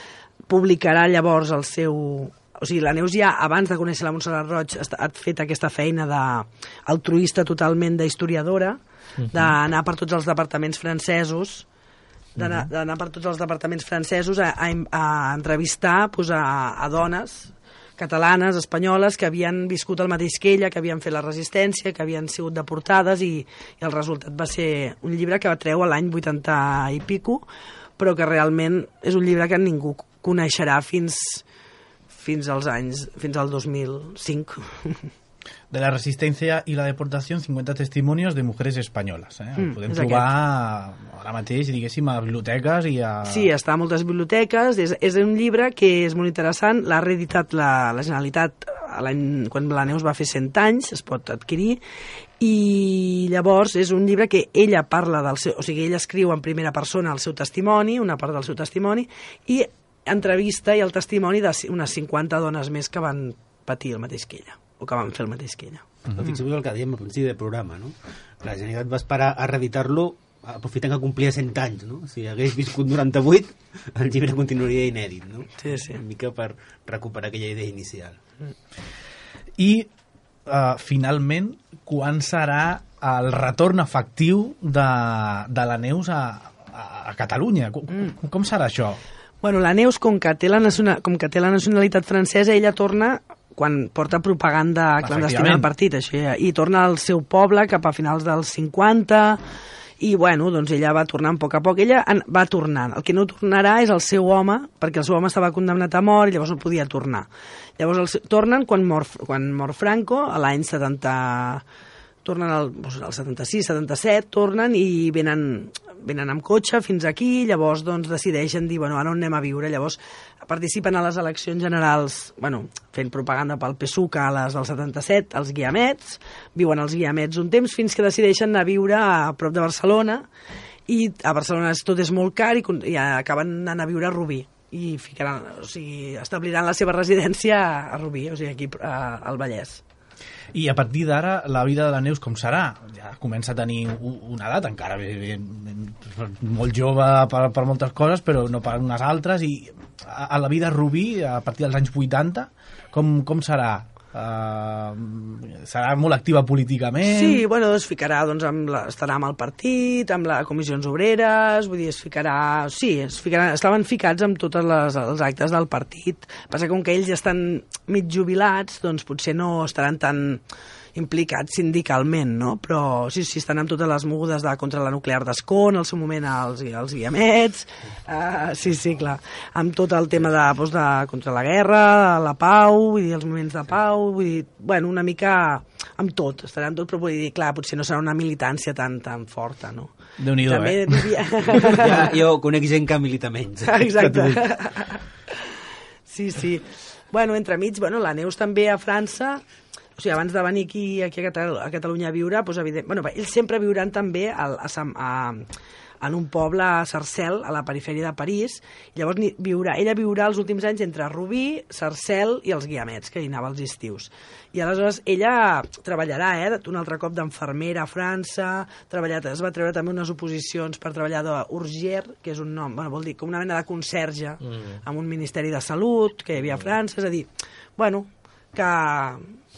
publicarà llavors el seu... O sigui, la Neus ja, abans de conèixer la Montserrat Roig, ha fet aquesta feina d'altruista totalment d'historiadora, uh -huh. d'anar per tots els departaments francesos, d'anar uh -huh. per tots els departaments francesos a, a, a entrevistar pues, a, a dones catalanes, espanyoles, que havien viscut el mateix que ella, que havien fet la resistència, que havien sigut deportades, i, i el resultat va ser un llibre que va treure l'any vuitanta i pico, però que realment és un llibre que ningú coneixerà fins... fins als anys, fins al dos mil cinc. De la resistencia y la deportación, cincuenta testimonios de mujeres españoles. Eh? El Mm, podem és trobar ara mateix, diguéssim, a biblioteques i a... Sí, està a moltes biblioteques, és, és un llibre que és molt interessant, l'ha reeditat la, la Generalitat l'any, quan la Neus va fer cent anys, es pot adquirir, i llavors és un llibre que ella parla del seu... O sigui, ella escriu en primera persona el seu testimoni, una part del seu testimoni, i entrevista i el testimoni d'unes cinquanta dones més que van patir el mateix que ella, o que van fer el mateix que ella. Uh-huh. Fixeu-vos el que dèiem al principi del programa, no? La Generalitat va esperar a reeditar-lo aprofitant que complia cent anys, no? Si hagués viscut noranta-vuit, el llibre continuaria inèdit, no? Sí, sí. Una mica per recuperar aquella idea inicial. I, uh, finalment, quan serà el retorn efectiu de, de la Neus a, a, a Catalunya? Com, mm. com serà això? Bueno, la Neus, com que té la, nacional, com que té la nacionalitat francesa, ella torna quan porta propaganda clandestina al partit, això, i torna al seu poble cap a finals dels cinquanta, i bueno, doncs ella va tornant a poc a poc. Ella va tornant. El que no tornarà és el seu home, perquè el seu home estava condemnat a mort i llavors no podia tornar. Llavors el, tornen quan mor, quan mor Franco, a l'any setanta... tornen al, doncs, al setanta-sis, setanta-set, tornen i venen, venen amb cotxe fins aquí, llavors doncs, decideixen dir, bueno, ara on anem a viure? Llavors participen a les eleccions generals, bueno, fent propaganda pel PSUC a les del setanta-set, als Guiamets, viuen als Guiamets un temps fins que decideixen anar a viure a prop de Barcelona, i a Barcelona tot és molt car i, i acaben anant a viure a Rubí, i ficaran, o sigui, establiran la seva residència a Rubí, o sigui, aquí a, al Vallès. I a partir d'ara, la vida de la Neus com serà? Ja comença a tenir una edat, encara molt jove per, per moltes coses, però no per unes altres, i a, a la vida Rubí, a partir dels anys vuitanta, com, com serà? Uh, serà molt activa políticament? Sí, bueno, es ficarà, doncs, amb la, estarà amb el partit, amb les comissions obreres, vull dir, es ficarà... Sí, es ficarà, estaven ficats amb tots els actes del partit. Passa que com que ells ja estan mig jubilats, doncs potser no estaran tan implicats sindicalment, no? Però sí, sí, estan amb totes les mogudes de, contra la nuclear d'Escon, al seu moment als, als Guiamets, uh, sí, sí, clar, amb tot el tema de, doncs, de contra la guerra, la pau, vull dir, els moments de pau, vull dir, bueno, una mica amb tot, estaran tot, però vull dir, clar, potser no serà una militància tan, tan forta, no? Déu-n'hi-do, eh? Vivia... Ja, jo conec gent que milita menys. Exacte. Sí, sí. Bueno, entremig, bueno, la Neus també a França, o sigui, abans de venir aquí, aquí a, Catalunya, a Catalunya a viure, doncs, evident, bueno, ells sempre viuran també a, a, a, en un poble a Sarcelles, a la perifèria de París. I llavors ni, viurà, ella viurà els últims anys entre Rubí, Sarcelles i els Guiamets, que hi anava els estius. I aleshores ella treballarà eh, un altre cop d'infermera a França, treballat, es va treure també unes oposicions per treballar d'Urgier, que és un nom, bueno, vol dir com una mena de conserge mm. amb un Ministeri de Salut que hi havia a França, és a dir, bueno, que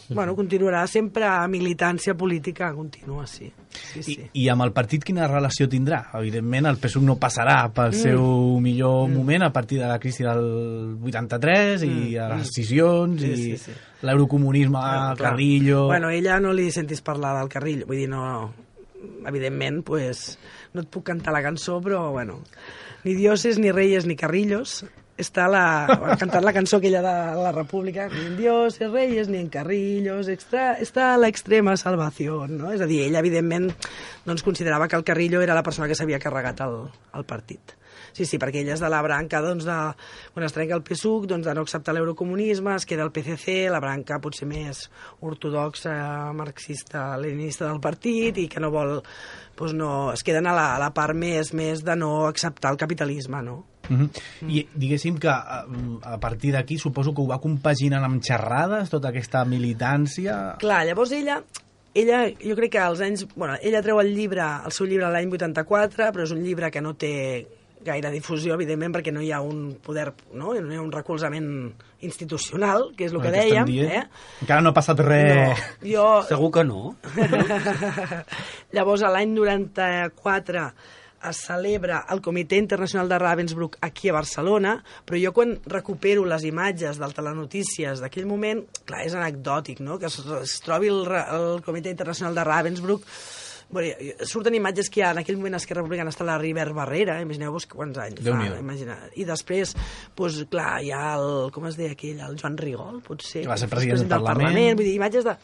bueno, continuarà sempre a militància política contínua, sí. sí, sí. I, I amb el partit quina relació tindrà? Evidentment el P S U no passarà pel mm. seu millor mm. moment a partir de la crisi del vuitanta-tres mm. i a les decisions sí, i sí, sí. l'eurocomunisme bueno, Carrillo... Bueno, ella no li sentis parlar del Carrillo, vull dir, no... Evidentment, pues, no et puc cantar la cançó, però, bueno, ni dioses, ni reyes, ni carrillos... Està la, cantant la cançó aquella de la República, ni en dioses, reyes, ni en carrillos, extra, està a l'extrema salvació, no? És a dir, ella, evidentment, doncs, considerava que el Carrillo era la persona que s'havia carregat el, el partit. Sí, sí, perquè ella és de la branca, doncs, de, quan es trenca el P S U C, doncs, de no acceptar l'eurocomunisme, es queda el P C C, la branca potser més ortodoxa, marxista, leninista del partit, i que no vol, doncs no, es queden a la, a la part més, més de no acceptar el capitalisme, no? Uh -huh. mm. I diguéssim que a, a partir d'aquí suposo que ho va compaginant amb xerrades, tota aquesta militància... Clar, llavors ella... Ella, jo crec que als anys... Bueno, ella treu el llibre, el seu llibre l'any vuitanta-quatre, però és un llibre que no té gaire difusió, evidentment, perquè no hi ha un poder, no? No hi ha un recolzament institucional, que és el que dèiem. Eh? Encara no ha passat res... No, jo... Segur que no. Llavors, l'any noranta-quatre es celebra el Comitè Internacional de Ravensbrück aquí a Barcelona, però jo quan recupero les imatges del telenotícies d'aquell moment, clar, és anecdòtic, no?, que es, es trobi el, el Comitè Internacional de Ravensbrück. Bueno, surten imatges que hi ha en aquell moment a Esquerra Republicana està la Ribert Barrera, imagineu-vos quants anys fa, imagina. I després, doncs, clar, hi ha el, com es deia aquell, el Joan Rigol, potser, que va ser president del, del Parlament. Parlament, vull dir, imatges de,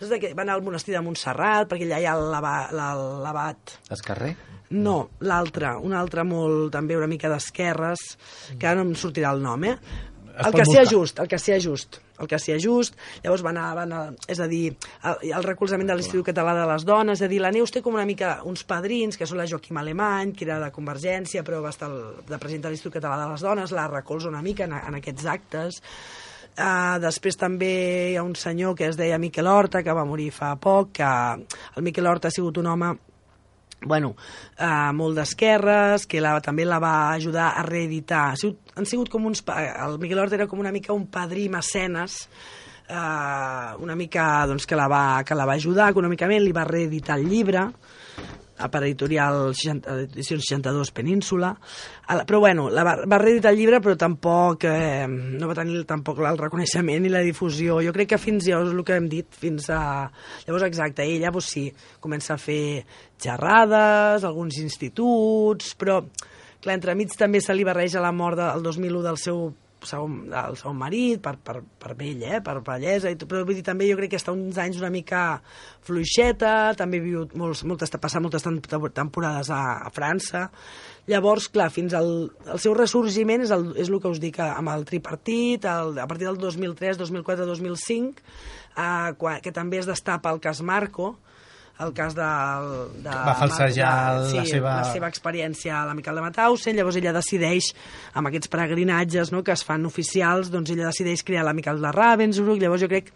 de que van al monestir de Montserrat, perquè allà hi ha l'abat... Escarrer? No, l'altre, un altre molt, també una mica d'esquerres, que ara no em sortirà el nom, eh? El que sia just, el que sia just, el que sia just, llavors van a, van a és a dir, el, el recolzament de l'Institut Català de les Dones, és a dir, la Neus té com una mica uns padrins, que són la Joaquim Alemany, que era de Convergència, però va estar el, de president de l'Institut Català de les Dones, la recolza una mica en, en aquests actes. Uh, després també hi ha un senyor que es deia Miquel Horta, que va morir fa poc, que el Miquel Horta ha sigut un home bueno, uh, molt d'esquerres, que la, també la va ajudar a reeditar. Ha sigut, han sigut com uns... El Miquel Horta era com una mica un padrí mecenes, uh, una mica doncs, que, la va, que la va ajudar econòmicament, li va reeditar el llibre, a per editorial seixanta, edicions seixanta-dos Península, però bueno, la va, va reeditar el llibre, però tampoc eh, no va tenir tampoc el reconeixement i la difusió. Jo crec que fins llavors, el que hem dit, fins a... Llavors, exacte, ella, doncs sí, comença a fer xerrades, alguns instituts, però, clar, entremig també se li barreja la mort del dos mil u del seu segon, el seu marit, per, per, per vell, eh? Per bellesa, i tot, però vull dir, també jo crec que està uns anys una mica fluixeta, també ha viut molts, moltes, passat moltes temporades a, a França. Llavors, clar, fins al el seu ressorgiment és el, és el que us dic amb el tripartit, el, a partir del dos mil tres, dos mil quatre, dos mil cinc, eh, quan, que també es destapa el cas Marco, el cas de... de va falsejar de, sí, la, seva... la seva experiència a l'Amical de Mauthausen. Llavors ella decideix, amb aquests peregrinatges, no, que es fan oficials, doncs ella decideix crear l'Amical de Ravensbrück. Llavors jo crec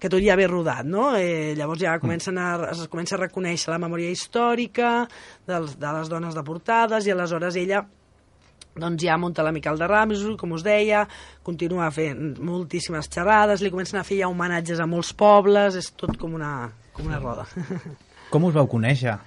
que tot ja ve rodat, no? Eh, llavors ja comencen a, es comença a reconèixer la memòria històrica dels, de les dones deportades, i aleshores ella doncs ja munta l'Amical de Ravensbrück, com us deia, continua fent moltíssimes xerrades, li comencen a fer ja homenatges a molts pobles, és tot com una, com una roda. Com us vau conèixer?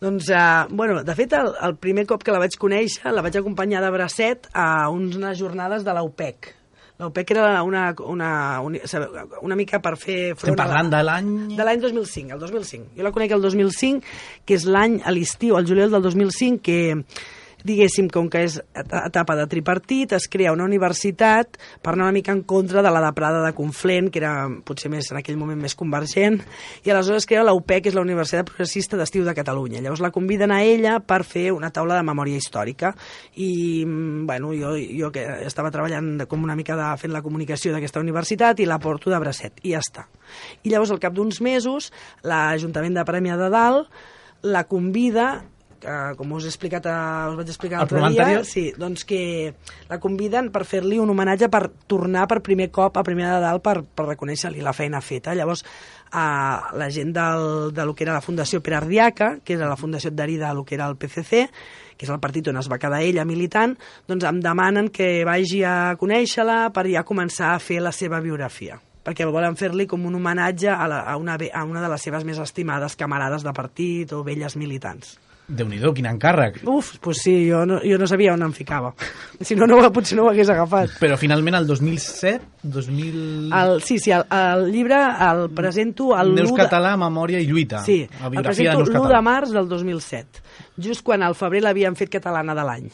Doncs, eh, bueno, de fet, el, el primer cop que la vaig conèixer, la vaig acompanyar de bracet a unes jornades de l'A U P E C. L'A U P E C era una, una, una, una mica per fer front... Estem parlant de l'any... De l'any dos mil cinc, el dos mil cinc. Jo la conec el dos mil cinc, que és l'any a l'estiu, el juliol del dos mil cinc, que... diguéssim, com que és etapa de tripartit, es crea una universitat per anar una mica en contra de la de Prada de Conflent, que era potser més en aquell moment més convergent, i aleshores es crea la U P E C, que és la Universitat Progressista d'Estiu de Catalunya. Llavors la conviden a ella per fer una taula de memòria històrica, i bueno, jo, jo que estava treballant com una mica de, fent la comunicació d'aquesta universitat, i la porto de bracet, i ja està. I llavors al cap d'uns mesos l'Ajuntament de Premià de Dalt la convida uh, com us he explicat, uh, us vaig explicar El l'altre programa dia, anterior? sí, doncs que la conviden per fer-li un homenatge per tornar per primer cop a Premià de Dalt per, per reconèixer-li la feina feta. Llavors, uh, la gent del, de lo que era la Fundació Pere Ardiaca, que era la fundació adherida a lo que era el P C C, que és el partit on es va quedar ella militant, doncs em demanen que vagi a conèixer-la per ja començar a fer la seva biografia, perquè volen fer-li com un homenatge a, la, a, una, a una de les seves més estimades camarades de partit o velles militants. Déu-n'hi-do, quin encàrrec. Uf, doncs pues sí, jo no, jo no sabia on em ficava. Si no, no potser no ho hagués agafat. Però finalment el dos mil set, dos mil... El, sí, sí, el, el llibre el presento... El Neus de... Català, Memòria i Lluita. Sí, la el biografia de presento Neus l'u Català. de març del dos mil set, just quan al febrer l'havien fet catalana de l'any.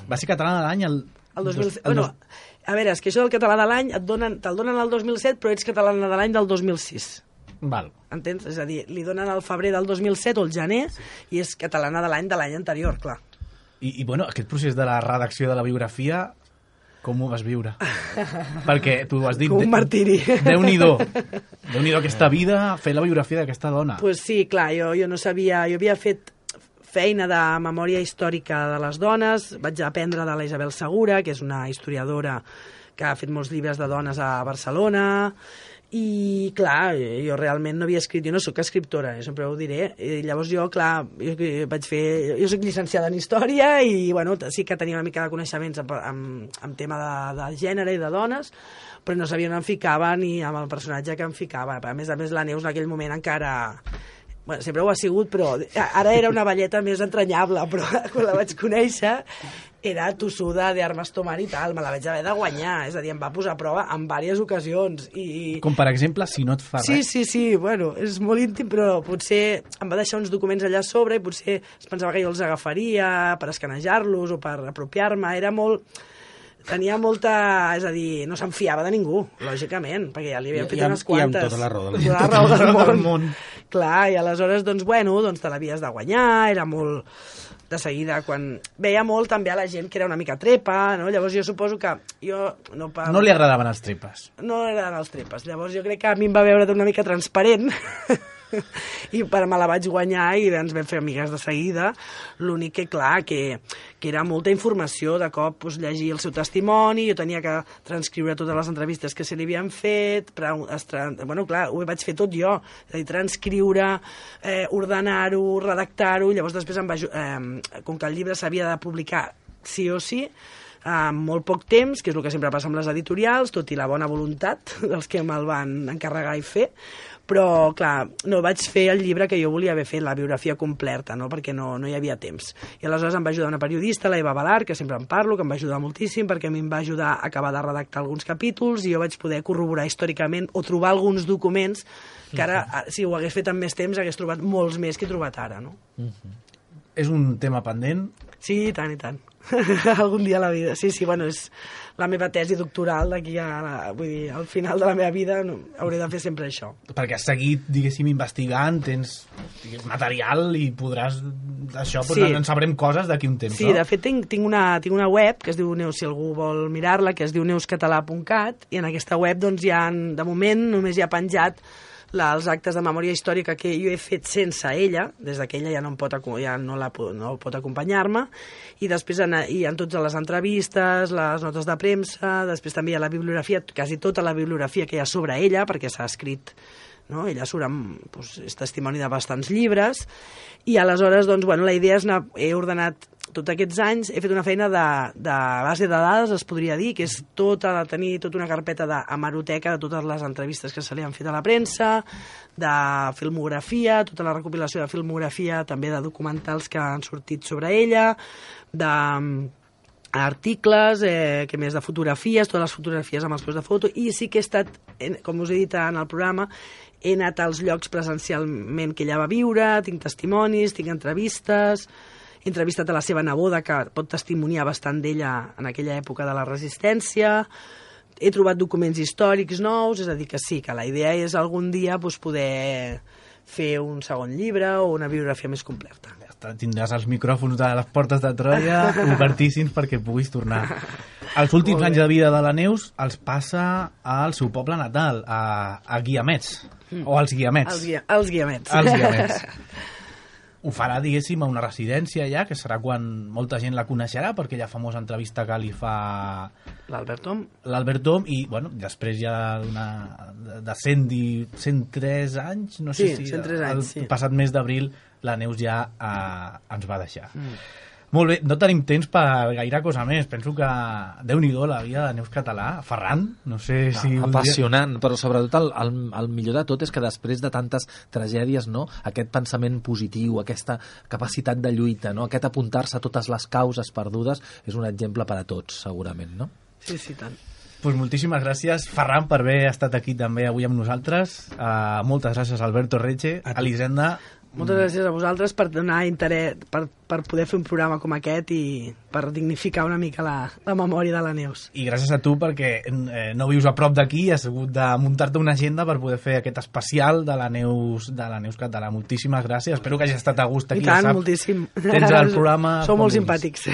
Va ser catalana de l'any el... El dos mil set, el bueno, dos... a veure, és que això del català de l'any et donen, te'l donen el dos mil set, però ets catalana de l'any del dos mil sis. Val. Entens? És a dir, li donen el febrer del dos mil set o el gener i és catalana de l'any de l'any anterior, clar. I, I, bueno, aquest procés de la redacció de la biografia, com ho vas viure? Perquè tu has dit... Com un martiri. Déu-n'hi-do. Déu-n'hi-do aquesta vida, fer la biografia d'aquesta dona. Pues sí, clar, jo, jo no sabia... Jo havia fet feina de memòria històrica de les dones, vaig aprendre de la Isabel Segura, que és una historiadora que ha fet molts llibres de dones a Barcelona, i clar, jo realment no havia escrit, jo no sóc escriptora, jo sempre ho diré, i llavors jo, clar, jo vaig fer, jo soc llicenciada en història i bueno, sí que tenia una mica de coneixements en, en, en tema de, de gènere i de dones, però no sabia on em ficava ni amb el personatge que em ficava. A més a més, la Neus en aquell moment encara... Bueno, sempre ho ha sigut, però ara era una velleta més entranyable, però quan la vaig conèixer era tossuda d'armes tomar i tal, me la vaig haver de guanyar, és a dir, em va posar a prova en diverses ocasions. I... Com per exemple, si no et fa sí, res. Sí, sí, bueno, és molt íntim, però potser em va deixar uns documents allà a sobre i potser es pensava que jo els agafaria per escanejar-los o per apropiar-me, era molt... Tenia molta... És a dir, no se'n fiava de ningú, lògicament, perquè ja li havien fet I, amb, unes quantes. I amb tota la raó del Tota la raó del Del món. món. Clar, i aleshores, doncs, bueno, doncs te l'havies de guanyar, era molt... De seguida, quan... Veia molt també a la gent que era una mica trepa, no? Llavors jo suposo que jo... No, pa... No li agradaven els trepes. No li agradaven els trepes. Llavors jo crec que a mi em va veure una mica transparent i per me la vaig guanyar i ens vam fer amigues de seguida. L'únic que, clar, que, que era molta informació, de cop pues, llegir el seu testimoni, jo tenia que transcriure totes les entrevistes que se li havien fet, però, bueno, clar, ho vaig fer tot jo, és a dir, transcriure, eh, ordenar-ho, redactar-ho, llavors després em va, eh, com que el llibre s'havia de publicar sí o sí, en molt poc temps, que és el que sempre passa amb les editorials, tot i la bona voluntat dels que me'l van encarregar i fer, però, clar, no vaig fer el llibre que jo volia haver fet, la biografia completa, no? Perquè no, no hi havia temps. I aleshores em va ajudar una periodista, la Eva Balar, que sempre en parlo, que em va ajudar moltíssim, perquè a mi em va ajudar a acabar de redactar alguns capítols i jo vaig poder corroborar històricament o trobar alguns documents que ara, si ho hagués fet amb més temps, hagués trobat molts més que he trobat ara, no? Uh-huh. És un tema pendent? Sí, i tant, i tant. Algun dia a la vida. Sí, sí, bueno, és la meva tesi doctoral d'aquí a... La, vull dir, al final de la meva vida no, hauré de fer sempre això. Perquè has seguit, diguéssim, investigant, tens digués, material i podràs... Això, doncs sí. En sabrem coses d'aquí un temps, sí, no? Sí, de fet tinc, tinc, una, tinc una web que es diu Neus, si algú vol mirar-la, que es diu neus català punt cat, i en aquesta web, doncs, hi ha, de moment, només hi ha penjat la, els actes de memòria històrica que jo he fet sense ella, des que ella ja no, em pot, ja no, la, no pot acompanyar-me, i després en, hi ha totes les entrevistes, les notes de premsa, després també hi ha la bibliografia, quasi tota la bibliografia que hi ha sobre ella, perquè s'ha escrit, no? Ella surt amb, doncs, és testimoni de bastants llibres, i aleshores, doncs, bueno, la idea és anar, he ordenat tots aquests anys, he fet una feina de, de base de dades, es podria dir, que és tota, de tenir tota una carpeta d'hemeroteca de totes les entrevistes que se li han fet a la premsa, de filmografia, tota la recopilació de filmografia, també de documentals que han sortit sobre ella, de articles, eh, que més de fotografies, totes les fotografies amb els peus de foto, i sí que he estat, com us he dit en el programa, he anat als llocs presencialment que ella va viure, tinc testimonis, tinc entrevistes, he entrevistat a la seva neboda, que pot testimoniar bastant d'ella en aquella època de la resistència, he trobat documents històrics nous, és a dir, que sí, que la idea és algun dia doncs, poder fer un segon llibre o una biografia més completa. Ja està, tindràs els micròfons de les portes de Troia obertíssims perquè puguis tornar. Els últims anys de vida de la Neus els passa al seu poble natal, a, a Guiamets, mm. o als Guiamets. Els, guia, els Guiamets. Els Guiamets. ho farà, diguéssim, a una residència ja, que serà quan molta gent la coneixerà, perquè la famosa entrevista que li fa l'Albert Tom. L'Albert Tom, i bueno, després ja una, de cent, cent tres anys, no sé sí, si cent tres anys, el sí. passat mes d'abril la Neus ja eh, ens va deixar. Mm. Molt bé, no tenim temps per gaire cosa més. Penso que Déu-n'hi-do la vida de Neus Català. Ferran, no sé si... No, apassionant, però sobretot el, el, el millor de tot és que després de tantes tragèdies, no, aquest pensament positiu, aquesta capacitat de lluita, no, aquest apuntar-se a totes les causes perdudes, és un exemple per a tots, segurament, no? Sí, sí, tant. Pues moltíssimes gràcies, Ferran, per haver estat aquí també avui amb nosaltres. Uh, moltes gràcies, Alberto Reche, a Elisenda. Moltes gràcies a vosaltres per donar interès, per, per poder fer un programa com aquest i per dignificar una mica la, la memòria de la Neus. I gràcies a tu perquè eh, no vius a prop d'aquí i has hagut de muntar-te una agenda per poder fer aquest especial de la Neus, de la Neus Català. Moltíssimes gràcies, espero que hagis estat a gust aquí. I tant, ja saps, moltíssim. Tens el programa... Sou molt simpàtics.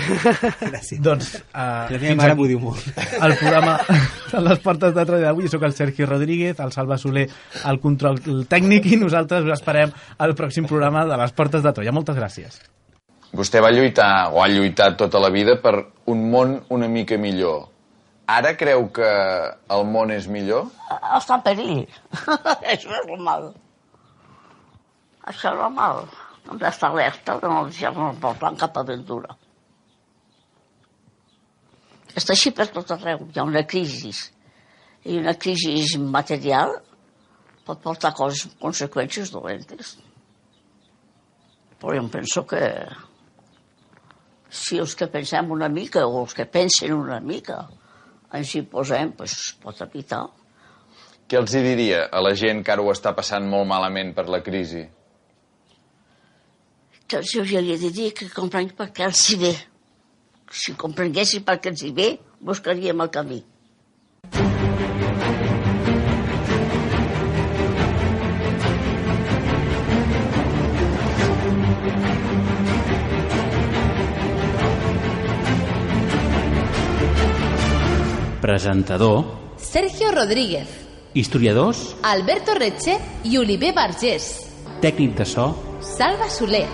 Gràcies. Doncs, uh, la meva mare m'ho diu molt. El programa de les portes de Troia d'avui, soc el Sergi Rodríguez, el Salva Soler, el control tècnic, i nosaltres us esperem al pròxim programa de les portes de Troia. Moltes gràcies. Vostè va lluitar, o ha lluitat tota la vida, per un món una mica millor. Ara creu que el món és millor? Està en perill. Això és normal. Això és normal. Hem d'estar alerta de no deixar-nos portar cap aventura. Està així per tot arreu. Hi ha una crisi. I una crisi material pot portar coses, conseqüències dolentes. Però jo penso que si els que pensem una mica o els que pensen una mica ens hi posem, doncs pot evitar. Què els hi diria a la gent que ara ho està passant molt malament per la crisi? Que els hauria de dir que comprenguin per què els hi ve. Si comprenguessin per què els hi ve, buscaríem el camí. Presentador Sergio Rodríguez. Historiadors Alberto Reche i Oliver Vergés. Tècnic de so Salva Soler.